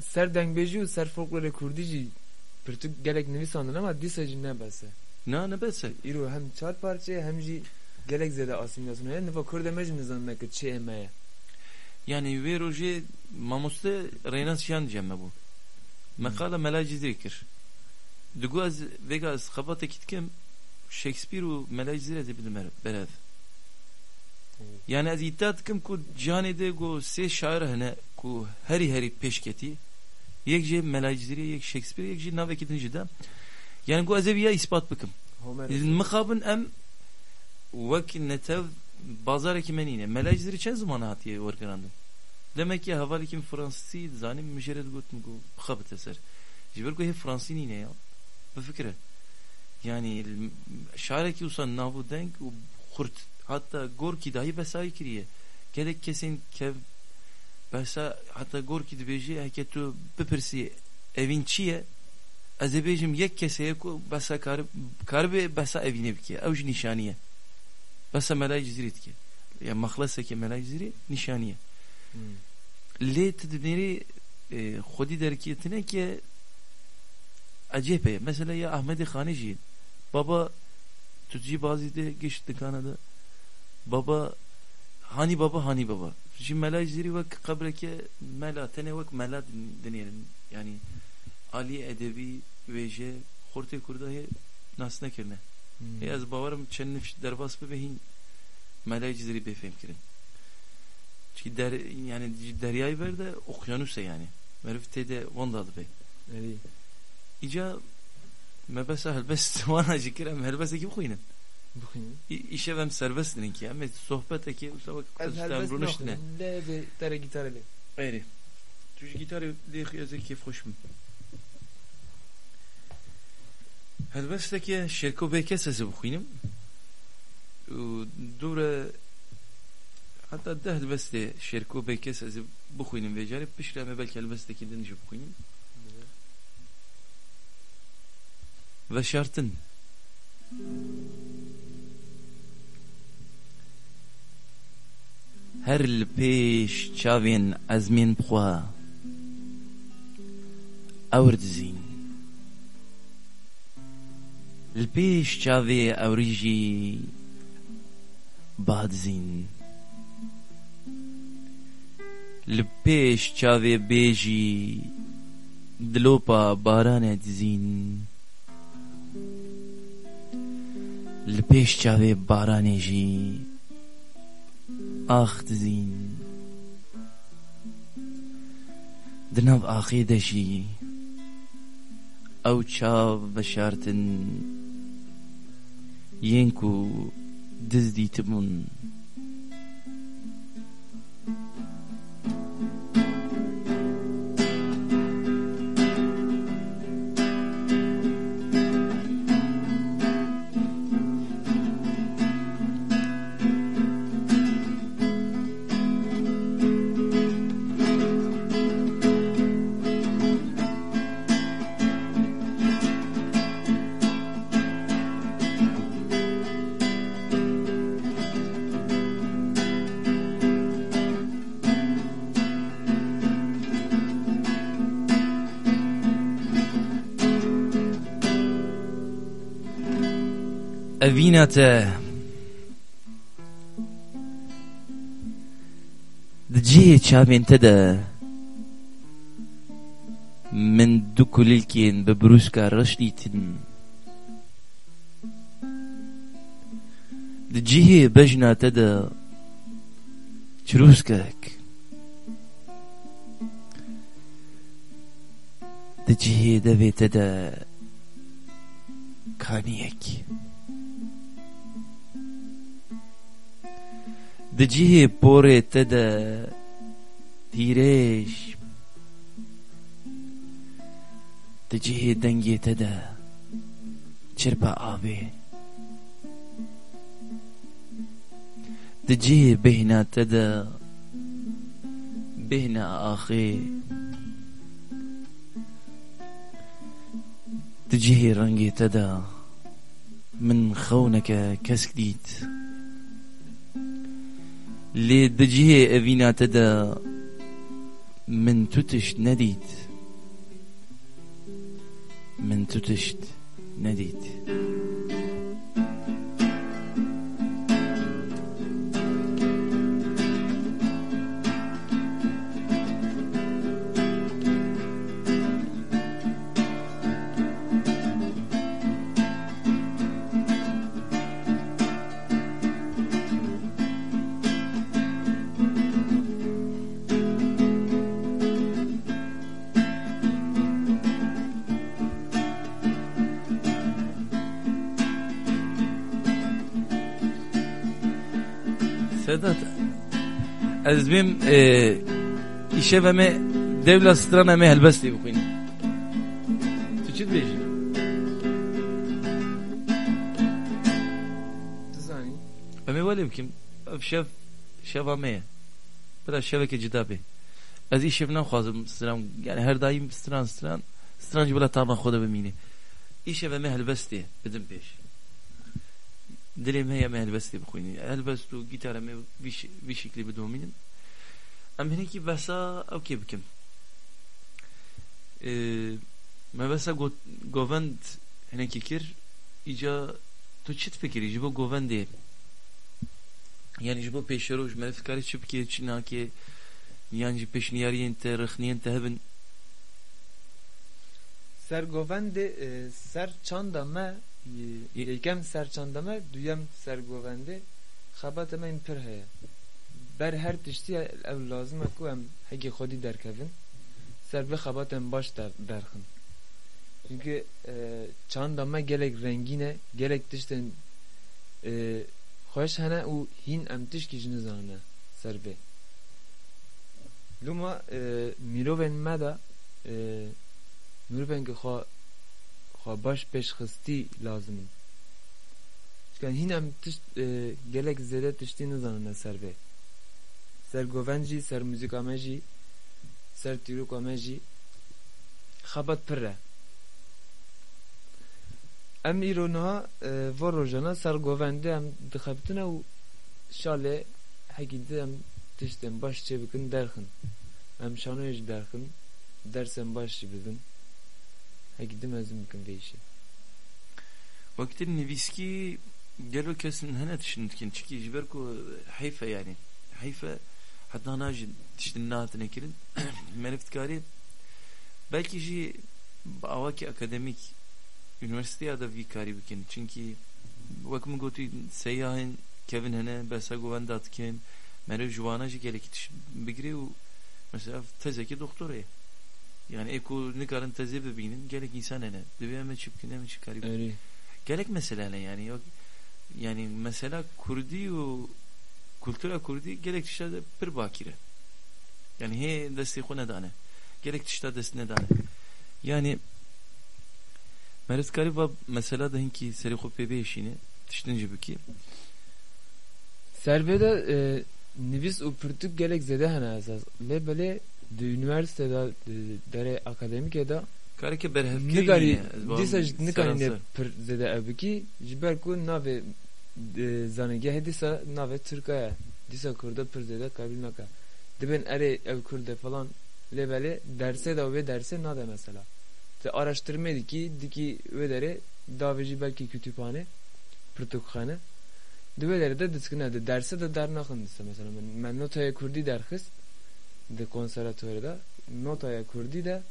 Ser dengbêjî û ser folklorê kurdî jî pirtûk gelek nivîsandin ama dîsa jî ne bes e. Na, ne bes e. Îro hem çar parçe ye hem jî gelek zêde asîmîlasyon heye. Niva Kurda me jî nizanine ki çi ê me ye. Yani wê rojê mamoste Reynas Şiyan cem me bû. Hmm. Meqala Mela Cizîrê kir. Digo ez vêga ez xebatekî dikim, Shakespeare û Mela Cizîrê ez ê bidim ber-, berev. Hmm. Yani ez îdia dikim ku cîhanê de go sê şair hene ku herî herî pêş ketî. Yek jê Mela Cizîrê, yek Shakespeare, yek jî navekî din jî de. Yani go ez ê viya îspat bikim. Homer. Mixabin em wek netev bazarekî me nîne. Mela Cizîrê çend ziman hatiye wergerandin? Demek ki hevalekî min fransî dizanî, min jê re digot, min got, bixebite ser. Ji ber ku hê fransî nîne ya. Bifikire. Yani, şarekî wisa nav û deng û xurt. Hatta Gorkî dahî behsa wî kiriye. Gelek kesên kev behsa, hatta Gorkî dibêje, heke tu bipirsî, evîn çi ye? Ez ê bêjim, yek kes heye ku behsa kar-, karibe behsa evînê bike. Ew jî nîşanî ye. Behsa Melayê Cizîrê dike. Ya mexlesekê Mela Cizîrî nîşanî ye. Hmm. Lê tu dinêrî, e, xwedî derketine ke ecêb e. Mesela ya Ahmedê Xanê jî, baba, tu jî bazî de giş dikana de, baba, hanî baba, hanî baba. Jî Mela Cizîrî wek qebreke mela, tenê wek mela din-, dinêrin. Yanî alî edebî, wêje, xortê Kurda hê nas nekirine. Hmm. Ê ez bawerim çend nifş derbas bibe hîn Mela Cizîrî bê fêhm kirin. Çi der-, yani ji deryayê ber de okyanus e yani. Meriv tê de wenda dibe. Erê. Îca me besa helbest wana jî kir, em helbestekî bixwînin. Bixwînin. Î-, îşev em serbest din ki, em ê sohbetekê wisa wek Ez ez helbest rûniştine. Naxwînim. Lê vê tere gîtarê lê. Erê. Tu ji gîtarê lê xwe ez ê kêfxweş bim. Helbesteke Şêrko Bêkes ez ê bixwînim. Û dûre heta deh helbestê Şêrko Bêkes ez ê bixwînim vê carê. Piştre em ê belkî helbestekî din jî bixwînim. Veşartin. Her li pêş çavên ezmên bi xwe ewr dizîn. Li pêş çavê ewrî jî ba dizîn. Li pêş çavê bê jî dilopa baranê dizîn. Li pêş çavê baranê jî ax dizîn. Di nav axê de jî ew çav veşartin yên ku diz dîtibûn. Evîna te. Di cihê çavên te de min du kulîlkên bi brûska reş dîtin. Di cihê bejna te de çirûskek. Di cihê devê te de kaniyek. Di cihê porê te de tîrêj. Di cihê dengê te de çirpa avê. Di cihê bêhna te de bêhna axê. Di cihê rengê te de min xewneke kesk dît. Lê di cihê evîna te de min tu tişt nedît. Min tu tişt nedît. Sedat, ez dibêm, e, îşev em ê dewla stran em ê helbestê bixwînin. Tu çi dibêjî? Dizanî? Em ê welê bikim. Ev şev, şeva me ye. Bila şeveke cida bê. Ez îşev naxwazim stran, yani her daîm stran, stran, stran jî bila tama xwe de bimîne. Îşev em ê helbestê bidin pêş. Dilê me heye me helbestê bixwînin. Helbest û gîtara me vî şi-, vî şiklî bidomînin. Em hinekî behsa ew kê bikin. Ee, me behsa got-, govend hinekî kir. Îca tu çi difikirî ji bo govendê? Yani ji bo pêşeroj meriv dikarî çi bikê, çi nakê? Yan jî pêşniyariyên te, rexniyên te hebin? Ser govendê, e, ser çanda me, e, Ye- yekem ser çanda me, duyem ser govendê, xebata me yên pir heye. Ber her tiştî ew lazim e ku em hegî xwedî derkevin, ser vê xebatên baş der-, derxin. Çimkî, e, çanda me gelek rengîn e, gelek tiştên, e, xweş hene û hîn em tişkî jî nizanine ser vê. Loma, e, mirovên me de, e, mirovên ku xwe, xwe baş pêşxistî lazim in. Çika hîn em tişt, e, gelek zêde tiştî nizanine ser vê. Ser govend jî, ser muzîka me jî, ser tîroka me jî xebat pir e. Em îro niha, e, va rojana ser govendê em dixebitine û şalê hekî di em tiştên baş çêbikin derxin. Em şanoyê jî derxin, dersên baş jî bibin. Hekî di mezin bikin vê îşê. Wekî nivîskî gelo kes hene tiştin dikin. Çikî ji ber ku heyf e yani. Heyf e heta niha jî tiştin nehatine kirin. Meriv dikarî belkî jî bi awakî akademîk unîversîteya de vî karî bikin. Çimkî wek min gotî seyahên kevin hene, behsa govenda dikin. Meriv ji wana jî gelekî tişt bigire û mesela tezekî doktorê. Yani ê ku nikarin tezê bibînin, gelek însan hene. Divê em ê çi bikin, em ê çi karî bikin. Erê. Gelek mesele hene yani. Yok, yani mesela kurdî û kultura kurdî gelek tişta de pir bakîr e. Yani hê destê xwe nedane. Gelek tişta dest nedane. Yani meriv dikarî va mesela de hinkî serê xwe pê biêşîne, tiştin jî bikî. Ser vê de, e, nivîs û pirtûk gelek zêde hene esas. Lê belê di unîversîte de, di derê akademîkê de kareke berhevkirî nikarî, nîne, ez bawer dîsa jî nikarîne seranser pir zêde ev bikî, ji ber ku navê, e, zanîngehê dîsa navê tirka ye. Dîsa kurda pir zêde qebîl nake. Dibên erê ev kurd e falan, lê belê dersê de wê dersê nade mesela. Ti araştirmê dikî, dikî wê derê davê jî belkî kutûpxane, pirtûkxane. Di wê derê de diçikine, di dersê de dernaxin dîsa. Mesela min, me notaya kurdî derxist di konservatuvarê de. Notaya kurdî de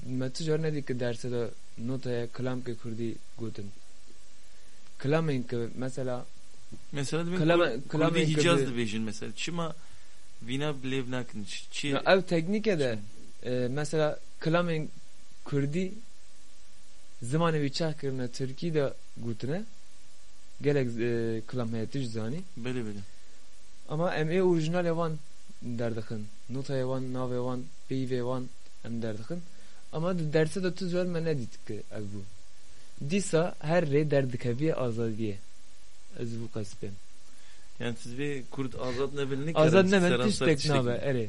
me tu car nedî ki dersê de notaya kilamkê kurdî gotin. Kilamên ki mesela Mesela dibên kilama-, kur-, kilamên kurdî ki Hicaz bi- dibêjin mesela. Çima vîna bi lêv nakin? Ç-, çi- Ya ev teknîke de, e, mesela kilamên kurdî zimanê wî çax kirine tirkî de gotine. Gelek, e, kilam heye tu jî zanî. Belê, belê. Ama em ê orîjinalê wan derdixin. Notayê wan, navê wan, peyvê wan em derdixin. Ama di dersê de tu car me nedît ki ev bû. Dîsa her rê derdikevî azadiyê. Ez vû qespêm. Yani siz vê kurd azad nebin, nikarin Azad nebin, seranser tiştek tiştekî nabe, erê.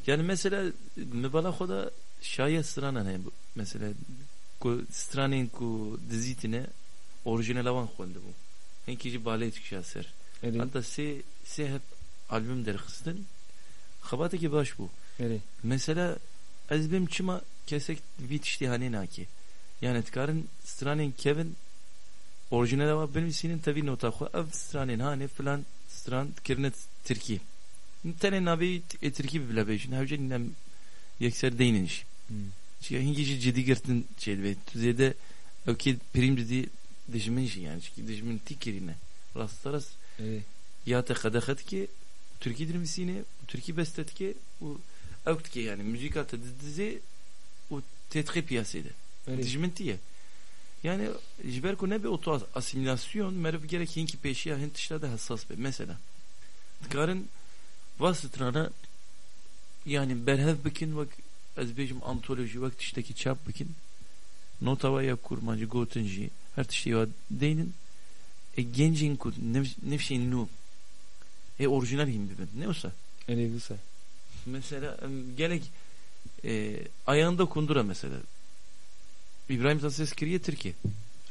Yani mesela, mi bala xwe de şaye stranan heye. Mesela, ku stranên ku dizîtine, orijinala wan xwendibû. Hinkî jî balê dikişa ser. Erê. Heta sê, sê heb albüm derxistin, xebatekî baş bû. Erê. Mesela, ez bêm çima kesek vî tiştî hanê nake. Yani, dikarin stranên kevin, orijinala wan binivîsînin tevî nota xwe. Ev stranên hanê filan stran kirine tirkî. Tenê navê ê tirkî bi bila bêjin. Hewce nîne em yekser deynin jî. Hmm. Çiya hingî jî cidî girtin çêdibe. Tu zêde ew kê pirîm didî dijmin jî yani. Çikî dijmin tî kirîne. Rasterast Ê. ya te qedexe dike, tirkî dinivîsîne, tirkî beste dike û ew dike yani. Muzîka te didizê û têdixê piyasê de. Erê. Dijmin tî ye. Yani ji ber ku nebe oto as-, asîmîlasyon, meriv gerek hinkî pêşiya hin tişta de hesas be. Mesela, dikarin va strana, yani berhev bikin, wek ez bêjim antolojî, wek tiştekî çap bikin. Nota wa ya kurmancî, gotin jî, her tiştê wa deynin. E, gencên ku nif-, nifşên nû ê orijinal hîn bibin. Ne wisa? Erê, wisa. Mesela, em, gelek, e, ayağında kundura mesela. İbrahim Tatlıses kiriye Tirkiye.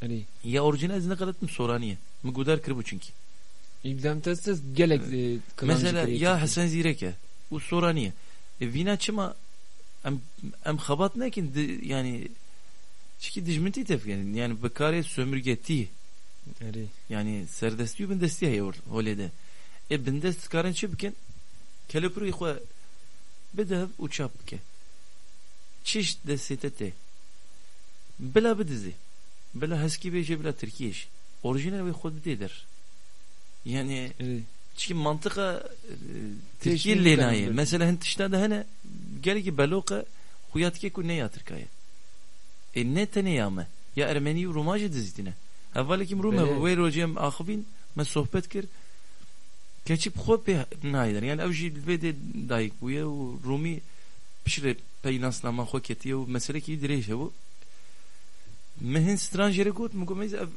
Erê. Ya orîjinal ez ne qelet min Soranî ye. Min gudar kiribû çunkî. Îbdam Testes gelek, e, kilam jî Mesela kirî ya Tirkî. Hesen Zîrek e. Û Soranî ye. E, vîna çima em, em xebat nekin, di, yani, çikî dijmintî tevgerin. Yani, bi karê sömürgetî. Erê. Yani, serdestî û bindestî heye or-, holê de. E, bindest karin çi bikin? Kelepirî xwe bide hev û çap bike. Çişt destê te tê. Bila bidizê. Bila heskî bêje, bila tirkiyê jî. Orîjinal wê xwe didê der. Yani, Erê. çikî mantiqa, e, Tirkiyê lê nayê. Mesela hin tişta de hene, gelekî beloq e, xuya dike ku ne ya Tirka ye. E, ne tenê ya me. Ya Ermenî û Rûma jî dizîtine. Hevalekî min Rûm Belê. hebû, wê rojê em axivîn, me sohbet kir. Keçik bi xwe pê nayê der. Yani ew jî li vê dê dayik bûye û Rûmî piştre pey nasnama xwe ketiye û meselekî dirêj hebû. Min hin stran jê re got, min got, "Meyze, ev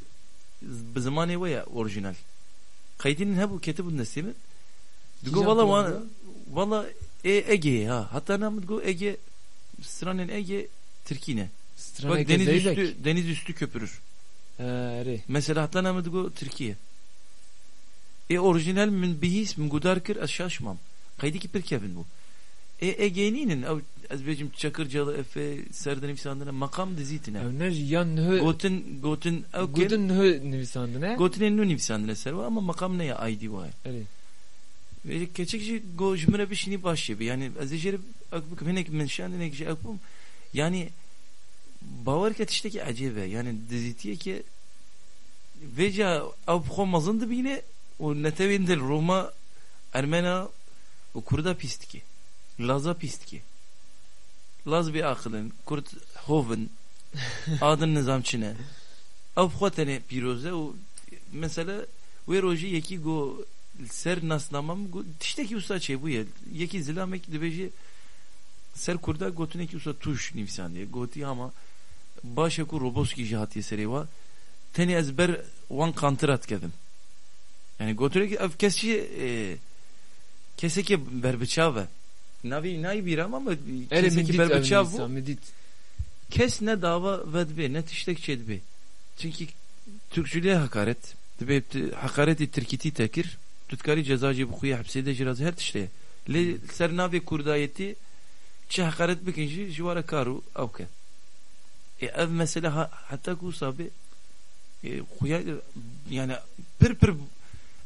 bi zimanê we ye orîjinal." Qeydînin hebû, ketibûn destê min. Digo, Kîjan "Wala wan, program? Wala ê Egeyê ha." Heta na min digo, "Ege, stranên Ege Tirkî ne." Straneke Bak, deniz zeybek. üstü, deniz üstü köpürür. Ha, erê. Mesela heta na min digo, "Tirkiye." Ê orîjinal min bihîst, min gudar kir, ez şaş mam. Qeydekî pir kevin bû. Ê Egeyê nînin, ew ez bêjim Çakırcalı Efe, ser de nivîsandine, meqam dizîtine. Ew ne jî yan niho Gotin, gotin, ew Gotin niho nivîsandine. Gotinên nû nivîsandine ser we, ama meqam ne ya aydî waye. Erê. Vê keçik jî go ji min re bişînî baş jê bi. Yani ez ê jê re ek bikim, hinek min şand, hinek jî ek bûm. Yani bawer ke tiştekî ecêb e. Yani dizîtiyeke vêca ew bi xwe mezin dibîne û netewên dil Roma, Ermena û Kurda pîs dike. Laza pîs dike. Laz bê aqil in, Kurd hov in, adin nizam çi ne. Ew bi xwe tenê pîroz e û mesela wê rojî yekî got li ser nasnama min got, tiştekî wisa çêbûye. Yekî zilamek dibêje ser Kurda gotinekî wisa tûj nivîsandiye. Gotî ama baş e ku Roboskî jî hatiye serê wa. Tenê ez ber wan qantira dikevim. Yani gotinekî ev kes jî, e, kesekî berbiçav e. Navê nayê bîra me, ama Erê, kesekî min dît ev berbiçav bû. nivîsa, min dît. Kes ne dava vedibê, ne tiştek çêdibê. Çünkü Türkçülüğe hakaret. Dibê tu heqaretî Tirkîtî te kir, tu dikarî ceza jî bixuyê, hepsê de jî razî, her tiştê. Lê ser navê Kurdayetî çi heqaret bikin jî, ji wara kar û ew ke. Ê, ev mesele ha-, heta ku wisa bê, ê, xuya, yani pir pir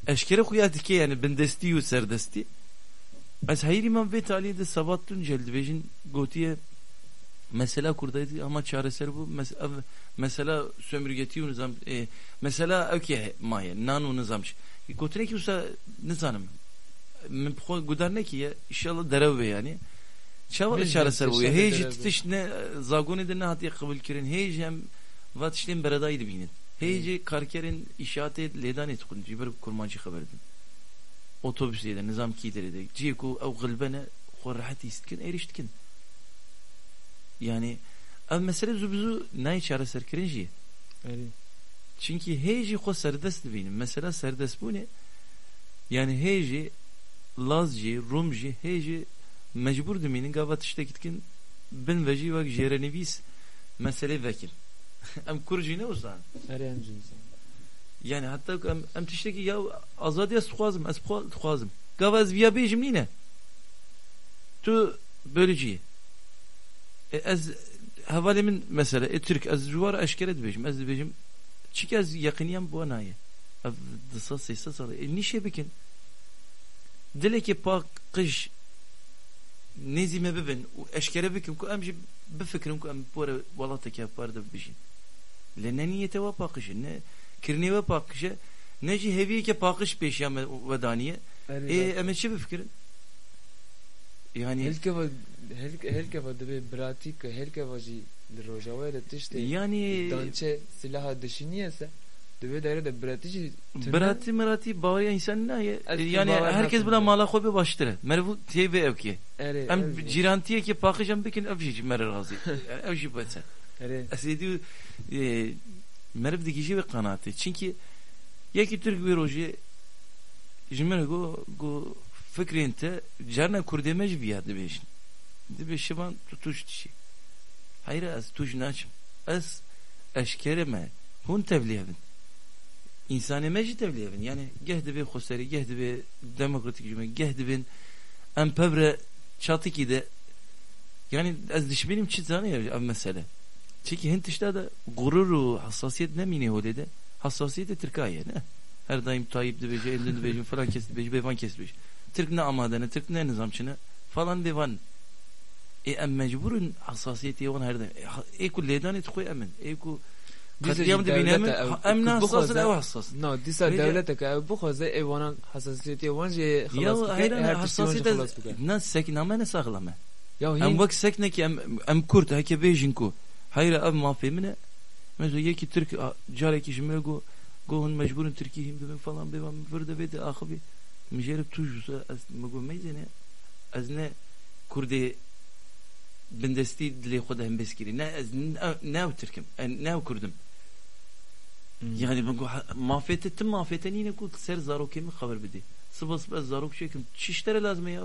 eşkere xuya dike, yani bindestî û serdestî. Ez heyirî me vê talî de Sebat Tuncel dibêjin, gotiye, mesela Kurdayetî ama çareser bû, mes-, ev mesela sömürgetî û nizam, ê, mesela ew ki maye, nan û nizam çi. Gotinekî wisa nizanim. Min bi xwe gudar nekiye, inşallah derew bê yani. Çawa Min çareser bûye? Hê jî tişt ne, zagonê de nehatiye qebûlkirin. Hê jî em va tiştên beredayî dibînin. Hê jî karkerên îşatê lêdanê dixwin. Ji ber kurmancî xeber din. Otobusê de, nizam kî derê de. Cihê ku ew xilbe ne, xwe rehet hîs dikin, êrîş dikin. Yani, ev mesele zû bi zû nayê çareserkirin jî. Erê. Çinkî hê jî xwe serdest dibînin. Mesela serdestbûnê, yani hê jî Laz jî, Rûm jî, hê jî mecbûr dimînin, gava tiştekî dikin, bin ve jî wek jêrenivîs meselê vekin. Em Kurd jî ne wisa ne. Erê, em jî wisa ne. Yani heta ku em, em tiştekî ya azadî ez dixwazim, ez bixwa-, dixwazim. Gava ez viya bêjim nîne. Tu bölücü yî. E, ez, hevalê min mesela, e, Tirk, ez ji wan re eşkere dibêjim, ez dibêjim, çike ez yeqiniyam bi wan nayê. Ev du sed sê sed sal e. E, nîşê bikin. Dilekê paqij nêzî me bibin û eşkere bikin ku em jî bifikirin ku em bi were welateke hevpar de bijîn. Lê ne niyete we paqij e, ne kirinê we paqij e, ne jî hêviyeke paqij pêşiya me we daniye. Erê, Ê, rast. Em ê çi bifikirin? Yani Hêlkeva, hêlk-, hêlkeva dibê biratî ku hêlkeva jî li Rojavayê de tiştê Yani dançe silaha dişînî ye se, di vê daîre de biratî jî tune. Biratî miratî baweriya însanî nayê. Ez Yani pê bawer herkes nakim bila be. mala xwe bê baştir e. Meriv tê vê ewkê. Erê, Em ev jî. cîrantiyekê paqij em bikin, ev jî ji me re razî. Yani ev jî bes e. Erê. Ez êdî, e, meriv digihîje vê qenaatê. Çinkî yekî Tirk wê rojê ji min re got, got, fikrên te, carna Kurdê me jî viya dibêjin. Dibê Şivan tu tûj dişî. Heyre ez tûj naçim. Ez eşkere me. Hûn tevlî hev in. Însanê me jî tevlî hev in. Yani geh dibê xweserî, geh dibê demokratîk ji me, geh dibên em pevre çatikî de. Yani ez dişmînim çi zanî ev mesele. Çikî hin tişta de gurur û hassasiyet nemînê holê de. Hassasiyetê Tirka ye, ne? Her daîm Tayyip dibêje, ên din dibêjin, filan kes dibêje, bêvan kes dibêje. Tirk ne amade ne, Tirk ne nizam çi ne, falan bêvan. Ê em mecbûr in hassasiyetê wan her daîm. Ê ha-, ê ku lêdanê dixwe em in. Ê ku Dîsa katliam jî dibîne dewlete min, ew ha, em ku ne hassas in, bixwaze, ew hassas. No, dîsa Vêca dewlete ke ew bixwaze, ê wanan hassasiyetê wan jî xelas Ya bike, heyran her tiştî wan jî hassasiyet ez, xelas bike. Ne sekî name ne saxlem e. Ya Em hîn wek seknekî em, em Kurd heke bêjin ku heyra ev mafê min e. Mesela yekî Tirk, a, carekî ji min re got, got hûn mecbûr in Tirkî hîn bibin falan bêvan min vir de vê de axivî. Min jê re tûj wisa ez, min got meyzêne, ez ne Kurdê bindestî dilê xwe de hembêz kirî. Ne ez, ne, ne ew Tirk im, e, ne ew Kurd im. Hmm. Yani min got, ha, mafê te, tim mafê te nîne ku ser zarokê min xeber bidî. Siba siba ez zarok çêkim. Çi ji te re lazim e ya?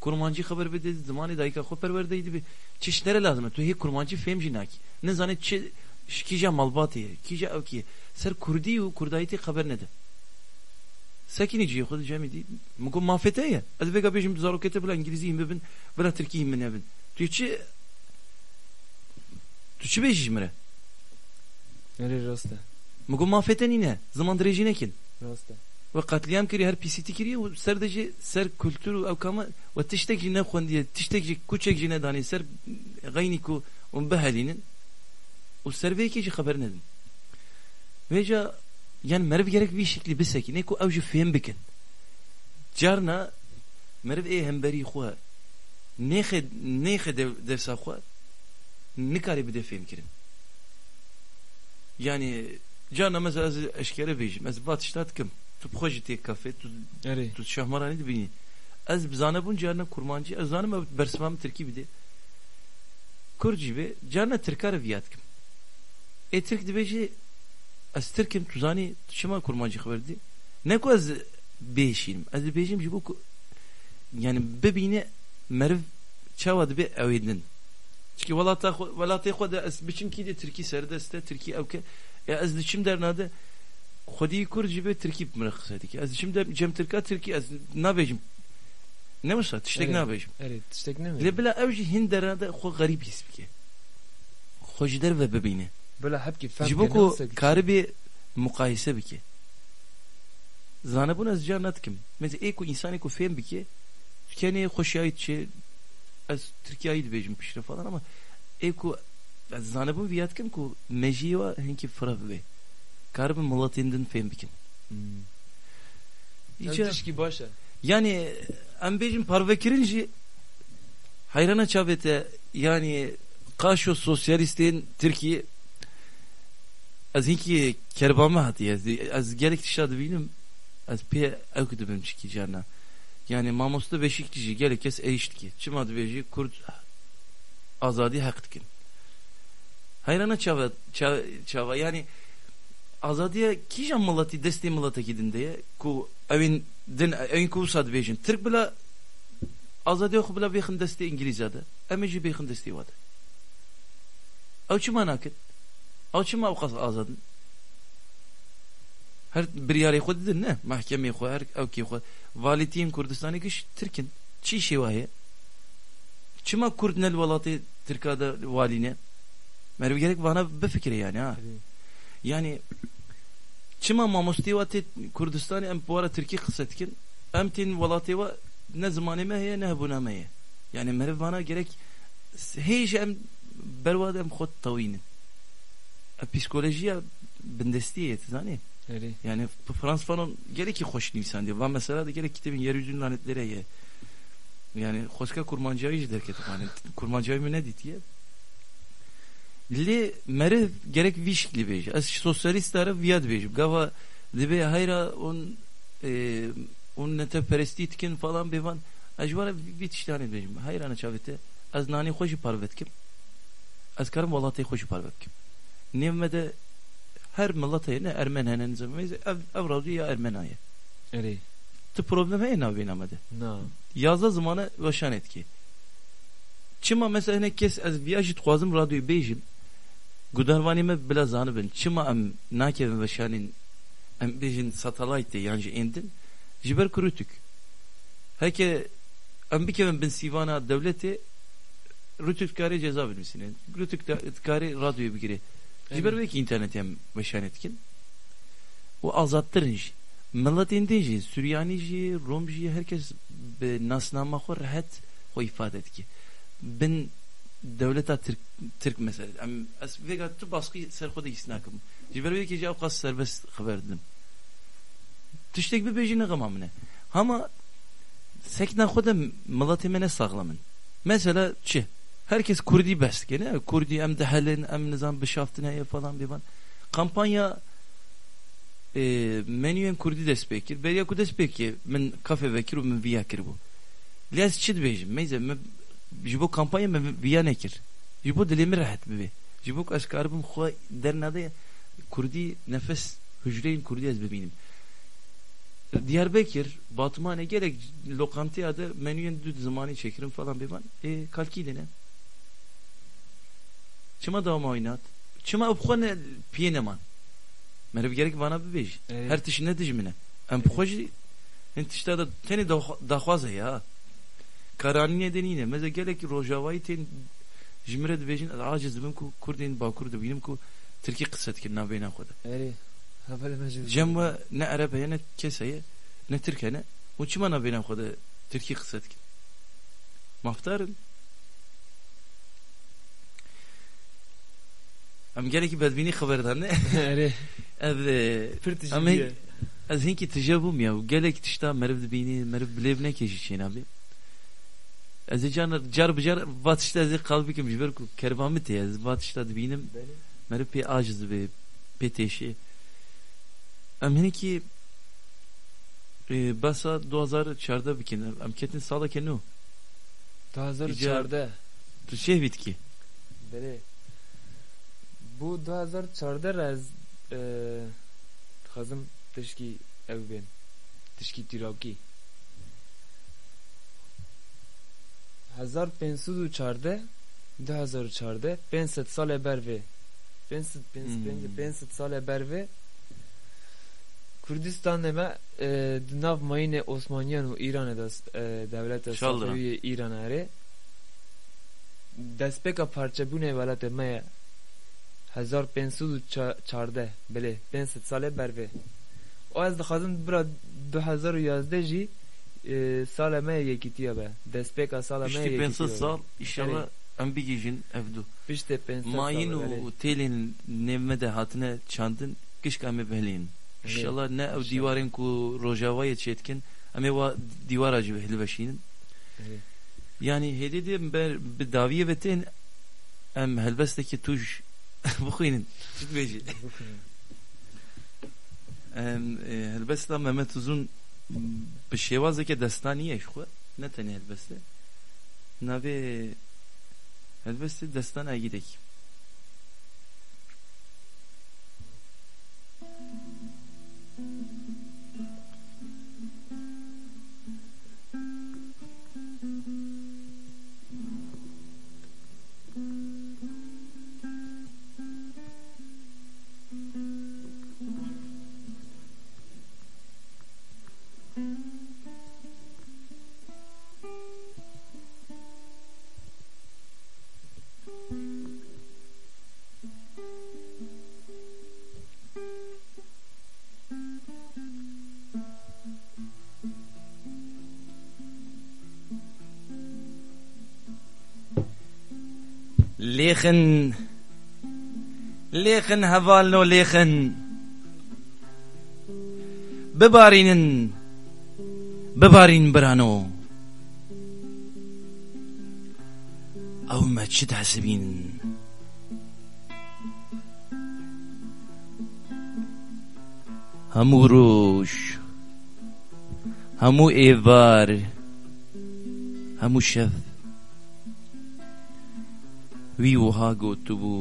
Kurmancî xeber bidî, zimanê dayika xwe perwerdeyî dibe. Çi ji te re lazim e? Tu hê kurmancî fêm jî nakî. Nizane çi, ji kîja malbatê ye, kîja ewkî ye. Ser kurdî û kurdayîtê xeber nede. Sekînî cihê xwe dicemî dî. Min got, mafê te ye. Ez vêga bêjim, zarokê te bila îngilîzî hîn bibin, bila tirkî hîn min nebin. Tu çi, tu çi bêjî ji min re? Erê, rast e. Min got, mafê te nîne. Ziman dirêjî nekin. Rast e. We qetlîam kiriye, her pîsîtî kiriye û ser de jî, ser kultur û ewka me we tiştek jî nexwendiye, tiştek jî, kuçek jî nedanî ser xeynî ku hûn bihelînin û ser vê yekê jî xeber nedin. Vêca, yani meriv gerek vî şeklî bisekîne ku ew jî fêm bikin. Carna meriv ê hemberî xwe nêxe, nêxe dev-, dersa xwe nikare bide fêmkirin. Yani carna mesela ez eşkere bêjim, ez va tişta dikim. Tu bi xwe jî tê kafê, tu, Erê. tu şahmaranî dibînî. Ez bi zanebûn carna kurmancî, ez zanim ew bersiva min tirkî bide. Kurd jî be, carna tirka re viya dikim. Ê tirk dibêje, ez tirk im, tu zanî, tu çima kurmancî xeber didî? Ne ku ez bêşînim. Ez dibêjim ji bo ku, yani bibîne meriv çawa dibe ew ê din. Çikî welata xwe, welatê xwe de ez biçim kî de tirkî serdest e, tirkî ewke. Ya ez diçim derna de xwedî kurd jî be tirkî bi min re qise dike. Ez diçim de cem tirka tirkî ez nabêjim. Ne wisa, tiştek Erê, nabêjim. erê, tiştek nemê. Lê bila ew jî hin derna de xwe xerîb hîs bike. Xwe ji derve bibîne. Bila hepkî fehm Ji bo ke, ku ne wisa ki karibê muqayese bike. Zanebûn ez carna dikim. Mesela ê ku însanê ku fêm bike, kenê xweşiyayî diçe, ez tirkiyayî dibêjim piştre falan ama ê ku ez zanebûn viya dikim ku mejiyê wa hinkî fireh bibe. Karibin miletên din fêm bikin. Hmm. Îca Ev tişkî baş e. Yani em bêjin parvekirin jî heyrana çavê te, yani qaşo sosyalîstên Tirkiyê ez hinkî kerba me hatiye. Ez, ez gelek tişta dibînim. Ez pê ewk dibim çikî carna. Yani mamoste Beşîkçî jî gelek kes êş dike. Çima dibêjî Kurd azadî heq dikin. Heyrana çava, ça-, çava, yani azadiya kîjan miletî destê miletekî din de ye ku ewên din, ewên ku wisa dibêjin. Tirk bila azadiya xwe bila bêxin destê Îngilîza de. Em ê jî bêxin destê wa de. Ew çima nakin? Ew çima ew qas azad in? Her biryarê xwe didin, ne? Mehkemê xwe, her ewkê xwe. Valîtiyên Kurdistanê giş Tirk in. Çi îşê wa heye? Çima Kurd ne li welatê Tirka de walî ne? Meriv gerek vana bifikire yani, ha. Tabii. Yani çima mamostê wa tê Kurdistanê em bi wara Tirkî qise dikin? Em tên welatê wa ne zimanê me heye, ne hebûna me ye. Yani meriv vana gerek hê jî em berwa de em xwe tewînin. E, psîkolojiya bindestiyê ye, tu zanî? Erê. Yani P-, Frans Fanon gelekî xweş nivîsandiye. Va mesela de gelek kitêbên Yeryüzünün Lanetleri ye. Yani xweska kurmancayî jî derket. Yani kurmancayî min nedîtiye. Lê meriv gerek vî şiklî bêje. Ez sosyalîsta re viya dibêjim. Gava dibê heyra hûn, e, hûn netewperestî dikin falan bêvan. Ez ji wan re vî, vî tiştanê dibêjim. Heyrana çavê te. Ez nanê xwe jî parve dikim. Ez karim welatê xwe jî parve bikim. Nêv me de her milet heye, ne ermen hene, nizam heye, ev, ev radyo ya ermena ye. Erê. Tu problem heye navbêna me de? Na. Yazdeh zimane weşanê dike. Çima mesela hinek kes, ez viya jî dixwazim radyoyê bêjim. Gudarvanê me bila zanibin, çima em nakevin weşanên, em bêjin satellite yan jî ên din, ji ber ku rûtûk. Heke em bikevin bin sîvana dewletê, rûtûk dikarê ceza binivîsîne. Rûtûk da-, dikarê radyoyê bigire. Ji ber Evet. wê yekê înternetê em weşanê dikin. Û azadtir in jî. Miletên din jî, Suryanî jî, Rom jî, her kes bi nasnama xwe rehet xwe îfade dike. Bin dewleta Tirk, Tirk mesela. Em, ez vêga tu baskî ser xwe de hîs nakim. Ji ber wê yekê jî ewqas serbest xeber didim. Tiştek bibêjî ne xema min e. Hema sekna xwe de miletê me ne saxlem in. Mesela çi? Herkes Kurdî behs dike, ne? Kurdî em dihelin, em nizam bişaftin heye falan bêvan. Kampanya, e, menüyên Kurdî dest pê kir. Beriya ku dest pê kir, min kafe vekir û min viya kiribû. Lê ez çi dibêjim? Meyze, min ji bo kampanya min viya nekir. Ji bo dilê min rehet bibe. Ji bo ku ez karibim xwe dernade Kurdî nefes, hucreyên Kurdî ez bibînim. Diyarbekir, Batmanê gelek lokanteya de menüyên du zimanî çêkirin falan bêvan. Ê, kalkî de ne? Çima dawama oynat? Çima ew bi xwe ne, piyê neman? Meriv gerek vana bibêjî. Evet. Her tişt ne dij min e. Em bi xwe jî hin tişta de tenê daxwa-, daxwaz heye ha. Karanînê de nîne. Meze gelekî rojavayî tên ji min re dibêjin, ez aciz dibim ku Kurdên Bakur dibînim ku Tirkî qise dikin navbeyna xwe de. Erê, hevalê me jî Cem we ne Ereb heye, ne kes heye, ne Tirk hene. Û çima navbeyna xwe de Tirkî qise dikin? Mafdar in. Em gelekî bedbînî xeber dan, ne? Erê. Ev, e, Pir tişt em bûye. hin-, ez hinkî tije bûm ya. Gelek tişta meriv dibînî, meriv bi lêv neke jî çênabe. Ez ê car, car bi car va tişta ez ê qal bikim, ji ber ku kerba min tê, ez va tişta dibînim. Belê. Meriv pê aciz dibe, pê têşê. Em hinkî, e, behsa du hazar çardeh bikin. Em ketin saleke nû. Du hazar û çardeh. Îcar tu çêvî dikî? Belê. Bû du hazar çardeh re ez, e, dixwazim tişkî ew bên. Tişkî tîrokî. Hezar pênc sed û çardeh, du hazar û çardeh, pênc sed salê ber vê. Pênc sed, pênc sed, Hmm. pênc sed salê ber vê. Kurdistanê me, e, di nav mayînê Osmaniyan û Îranê de, e, dewleta Şal Safewî yê Îranê erê. Destpêka parçebûnê welatê me ye hezar pênc sed û çardeh, belê, pênc sed salê ber vê. Û ez dixwazim bira du hezar û yazdeh jî, e, sala me yê yekîtiya be. Destpêka sala me yê Piştî yekîtiya pênc sed be. sal, înşallah Erê. em bigihîjin ev du. Piştê pênc sed Mayîn sal, û erê. têlên nêv me de hatine çandin, gişka em ê bihelînin. Erê. Înşallah ne ew Înşallah. dîwarên ku Rojavayê çêdikin, em ê wa dîwara jî hilveşînin. Erê. Yanî hêdî dê em ber bi dawiyê ve tên, em helbestekî tûj bixwînin. Çi dibêjî? Bixwînin. Em, e, helbesta Mehmet Uzun bi şêwazeke destanî ye ji xwe. Ne tenê helbest e. Navê helbestê Destan Egîdekî. Lêxin, lêxin hevalno lêxin. Bibarînin, bibarîn birano. Ew me çi dihesibîn? Hemû roj, hemû êvar, hemû şev wî wiha gotibû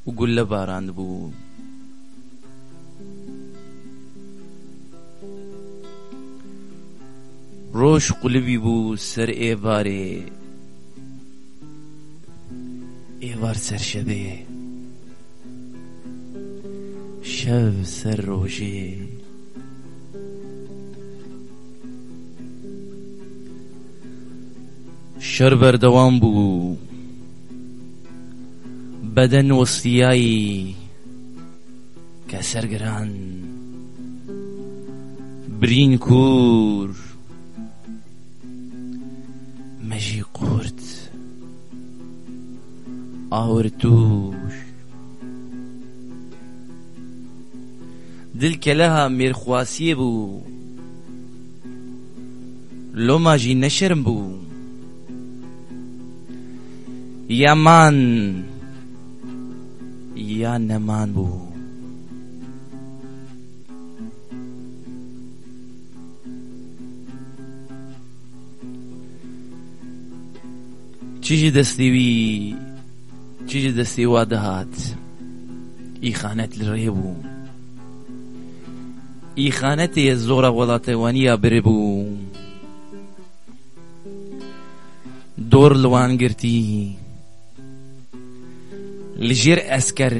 û gulle barandibû. Roj qulibî bû ser êvarê, êvar ser şevê. Kev ser rojê. Şer berdewam bû. Beden westiyayî, keser giran, birîn kûr, mejî qurt, awir tûş. Dil keleha mêrxwasiyê bû. Loma jî ne şerm bû. Ya man ya neman bû. Çi ji destê wî, çi ji destê wa dihat, îxanet li rê bû. Îxanetê zora welatewaniya biribû. Dor li wan girtî. Li jêr esker,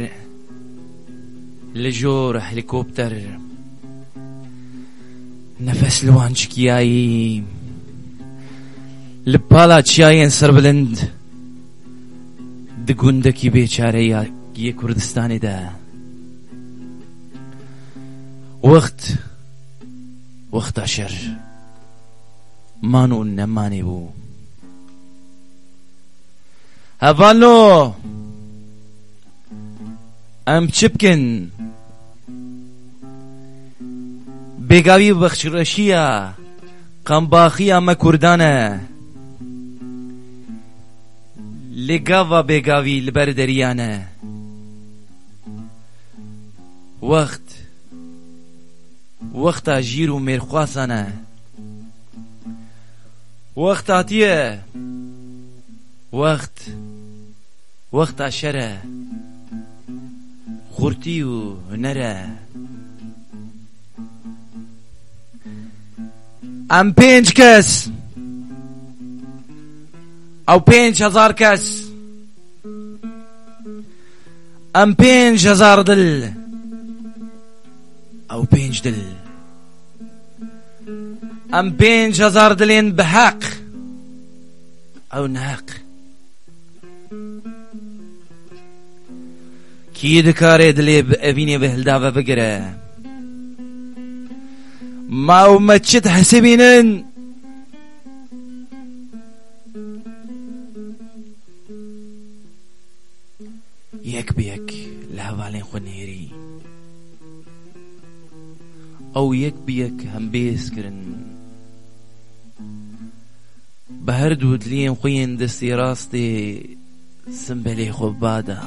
li jor helîkopter, nefes li wan çikiyayî, li pala çiyayên serbilind, di gundekî bêçare ya yê Kurdistanê de. Wext, wexta şer, man û nemanê bû. Hevalno, em çi bikin? Bêgavî bexşreşiya, qembaxiya me Kurdan e. Lê gava bêgavî li ber deriyan e. Wext, wexta jîr û mêrxwasan e. Wext hatiye. Wext, wexta şer e. Xurtî û huner e. Em pênc kes. Ew pênc hezar kes. Em pênc hezar dil. Ew pênc dil. Em pênc hezar dilên bi heq. Ew neheq. Kî dikare dilê bi evînê bi hildave bigire? Ma ew me çi dihesibînin? Yek bi yek li hevalên xwe nêrî. Ew yek bi yek hembêz kirin. Bi her du diliyên xwe yên destê rastê simbelê xwe bada.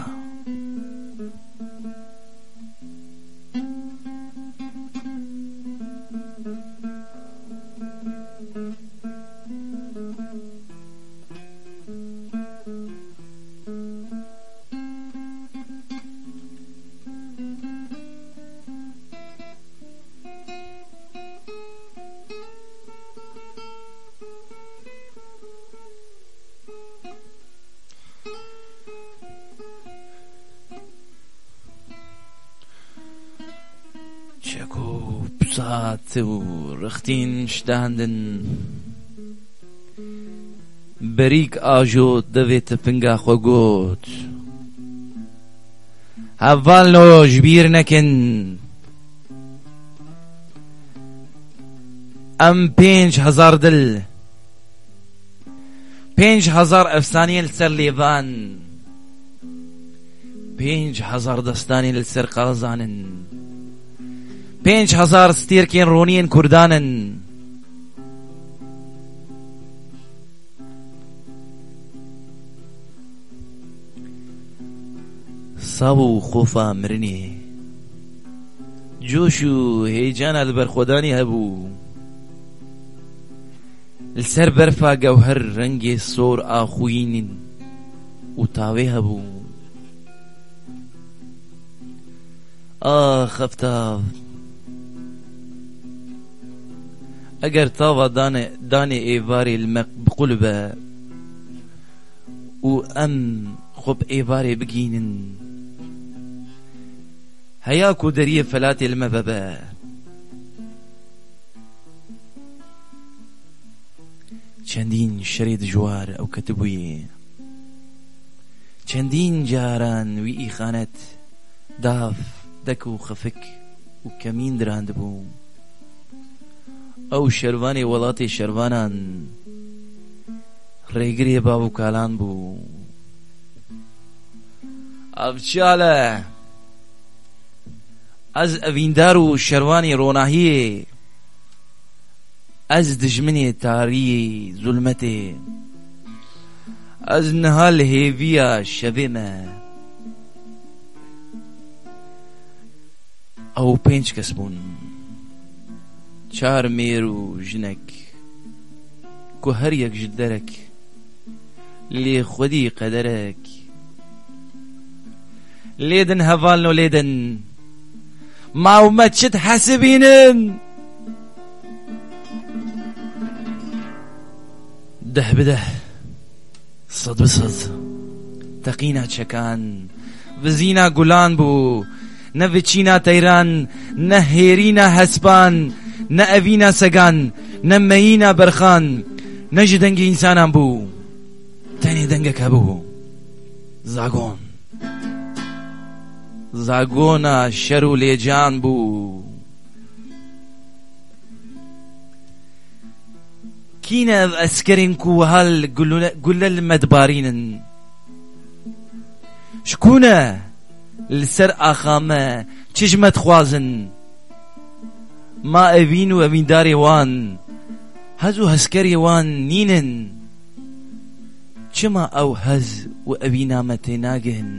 Çeko pisat û rixtîn ştandin. Berîk ajo devê tipinga xwe got: Hevalno, ji bîr nekin. Em pênc hezar dil, pênc hezar efsaneyên li ser lêvan, pênc hezar destanên li ser qazan in, pênc hezar stêrkên roniyên Kurdan in. Saw û xofa mirinê, coş û heyecana li berxwedanê hebû. Li ser berfa gewher rengê sor a xwînin û tavê hebû. Ax, ev tav! Eger tava dane, danê êvarê li me biqulbe û em xwe bi êvarê bigihînin, Heya ku deriyê felatê li me vebe. Çendîn şerê dijwar ew ketibûyê. Çendîn caran wî îxanet, dav, dek û xefik û kemîn dirandibû. Ew şervanê welatê şervanan, rêgirê bav û kalan bû. Avçale, ez evîndar û şervanê ronahiyê, ez dijminê tariyê, zulmetê, ez niha li hêviya şevê me. Ew pênc kes bûn. Çar mêr û jinek, ku her yek ji derek, lê xwedî qederek. Lê din hevalno, lê din. Ma ew me çi dihesibînin? Deh bi deh. Sed bi sed. Teqîna çekan, vizîna gulan bû. Ne viçîna teyran, ne hêrîna hespan, ne evîna segan, ne meyîna berxan, ne ji dengê însanan bû. Tenê dengek hebû. Zagon. Zagona şer û lêcan bû. Kî ne ev eskerên ku wiha li gule, gule li me dibarînin? Ji ku ne li ser axa me çi ji me dixwazin? Ma evîn û evîndarê wan, hez û hezkerê wan nînin? Çima ew hez û evîna me tênagihin?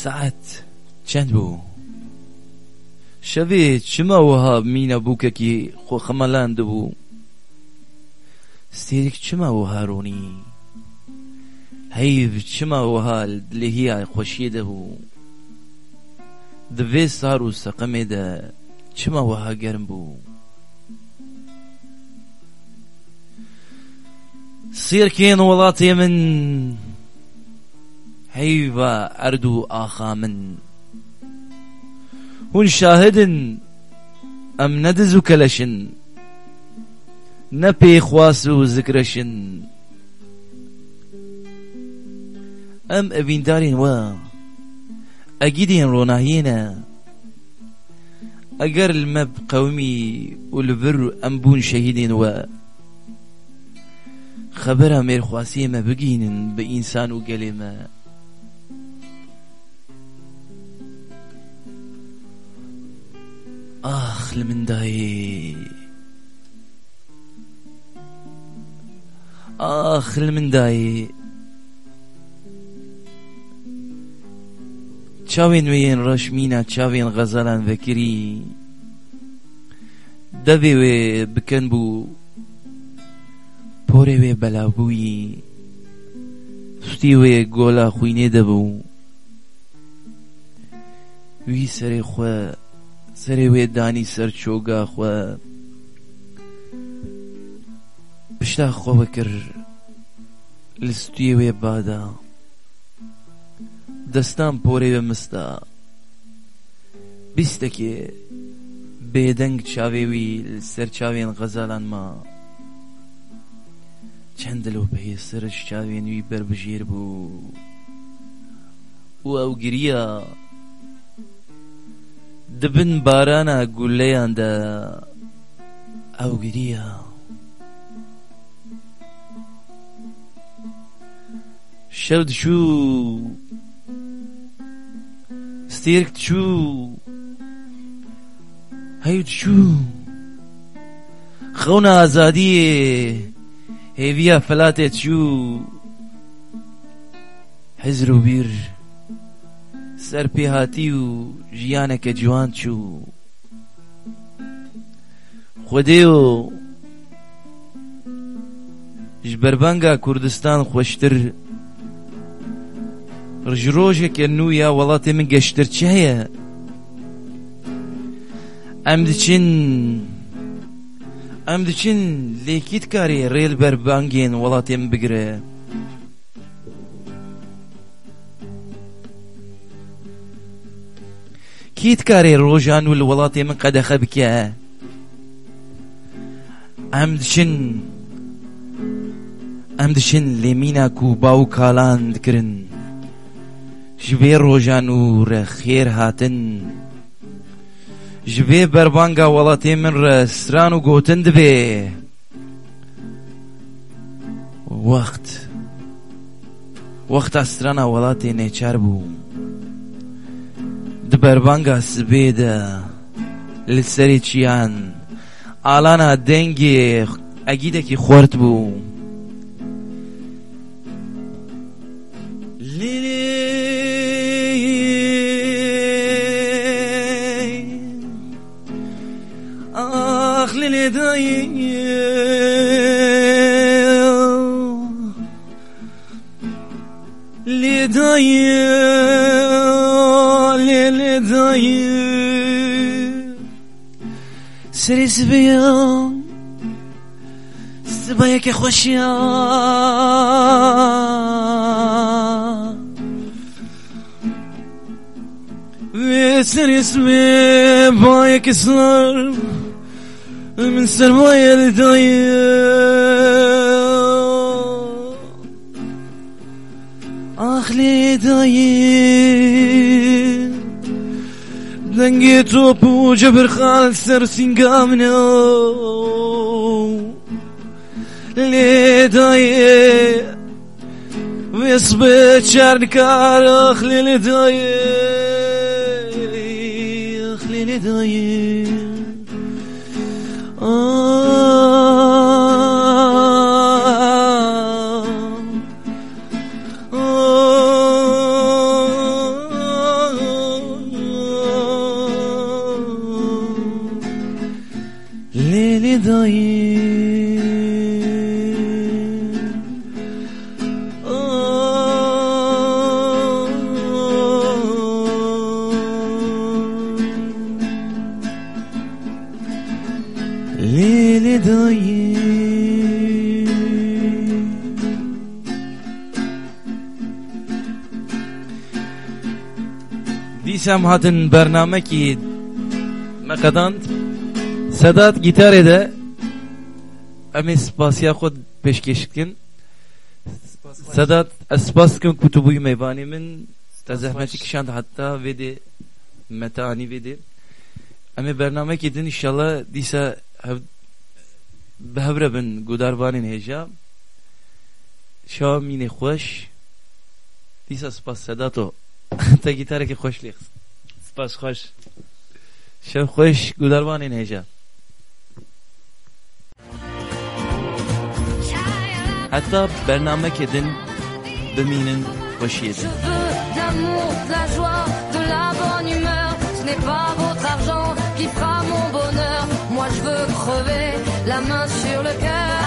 Saet çend bû? Şevê çima wiha mîna bûkekî xwe xemelandibû? Stêrek çima wiha ronî? Heyv çima wiha li dilêhiya xweşiyê de bû? Di vê sar û seqemê de çima wiha germ bû? Sêrkên welatê min, heyva erd û axa min. Hûn şahid in, em ne diz û keleş in, ne pêxwas û zikreş in. Em evîndarên we, egîdên ronahiyê ne. Eger li me biqewimî û li vir em bûn şehîdên we, xebera mêrxwasiyê me bigihînin bi însan û gelê me. Ax li min dayê. Ax li min dayê. Çavên wê yên reş mîna çavên xezalan vekirî. Devê wê biken bû. Porê wê belav bûyî. Stûyê wê gola xwînê de bû. Wî serê xwe, serê wê danî ser çoga xwe. Pişta xwe vekir li stûyê wê bada. Destan porê wê mista. Bîstekê bêdeng çavê wî li ser çavên xezalan ma. Çend dilopeyê sir ji çavên wî berbijêr bû û ew giriya. Di bin barana guleyan de ew giriya. Şev diçû, stêrk diçû, hew diçû. Qewna azadiyê hêviya felatê çû, hizr û bîr ser pê hatî û jiyaneke ciwan çû. Xwedêyo ji berbanga Kurdistan xweştir, ji rojeke nû ya welatê min geştir çi heye? Em diçin, em diçin, lê kî dikarê rê li berbangên welatê min bigire? Kî dikarê roja nû li welatê min qedexe bike? Em diçin, em diçin lê mîna ku baw û kalan dikirin. Ji vê roja nû re xêr hatin. Ji vê berbanga welatê min re stran û gotin dibe. Wext, wexta strana welatê nêçar bû. Di berbanga sibê de li serê çiyan alana dengê egîdekî xwert bû. Lê, lê, ax lê, lê dayê. Lê dayê, lê, lê dayê. Serê sibeya, sibayeke xweş ya. Wê serê sibê bayeke sar, min sermayê li dayê. Ax lê dayê, dengê top û cebirxa li ser sînga min e. Lê dayê, wê sibê çar nikar, ax lê lê dayê, ax lê lê dayê. Lê lê dayê. Lê lê dayê. Dîsa em hatin bernamekî me qedand. Sedat gîtarê de, em ê spasiya xwe pêşkêş dikin. Sedat, ez spas dikim ku tu bûyî mêvanê min. Te zehmetî kişand heta vê dê, me te anî vê dê. Em ê bernamekî din înşallah dîsa hev-, bi hev re bin gudarvanên hêja. Şewa mînê xweş. Dîsa spas Sedato. Te gîtarekî xweş lê xist. Spas xweş. Şev xweş gudarvanên hêja. Heta bernamekê din bimînin xweşiyê din. Je veux de l'amour, de la joie, de la bonne humeur. Ce n'est pas votre argent qui fera mon bonheur. Moi, je veux crever la main sur le cœur.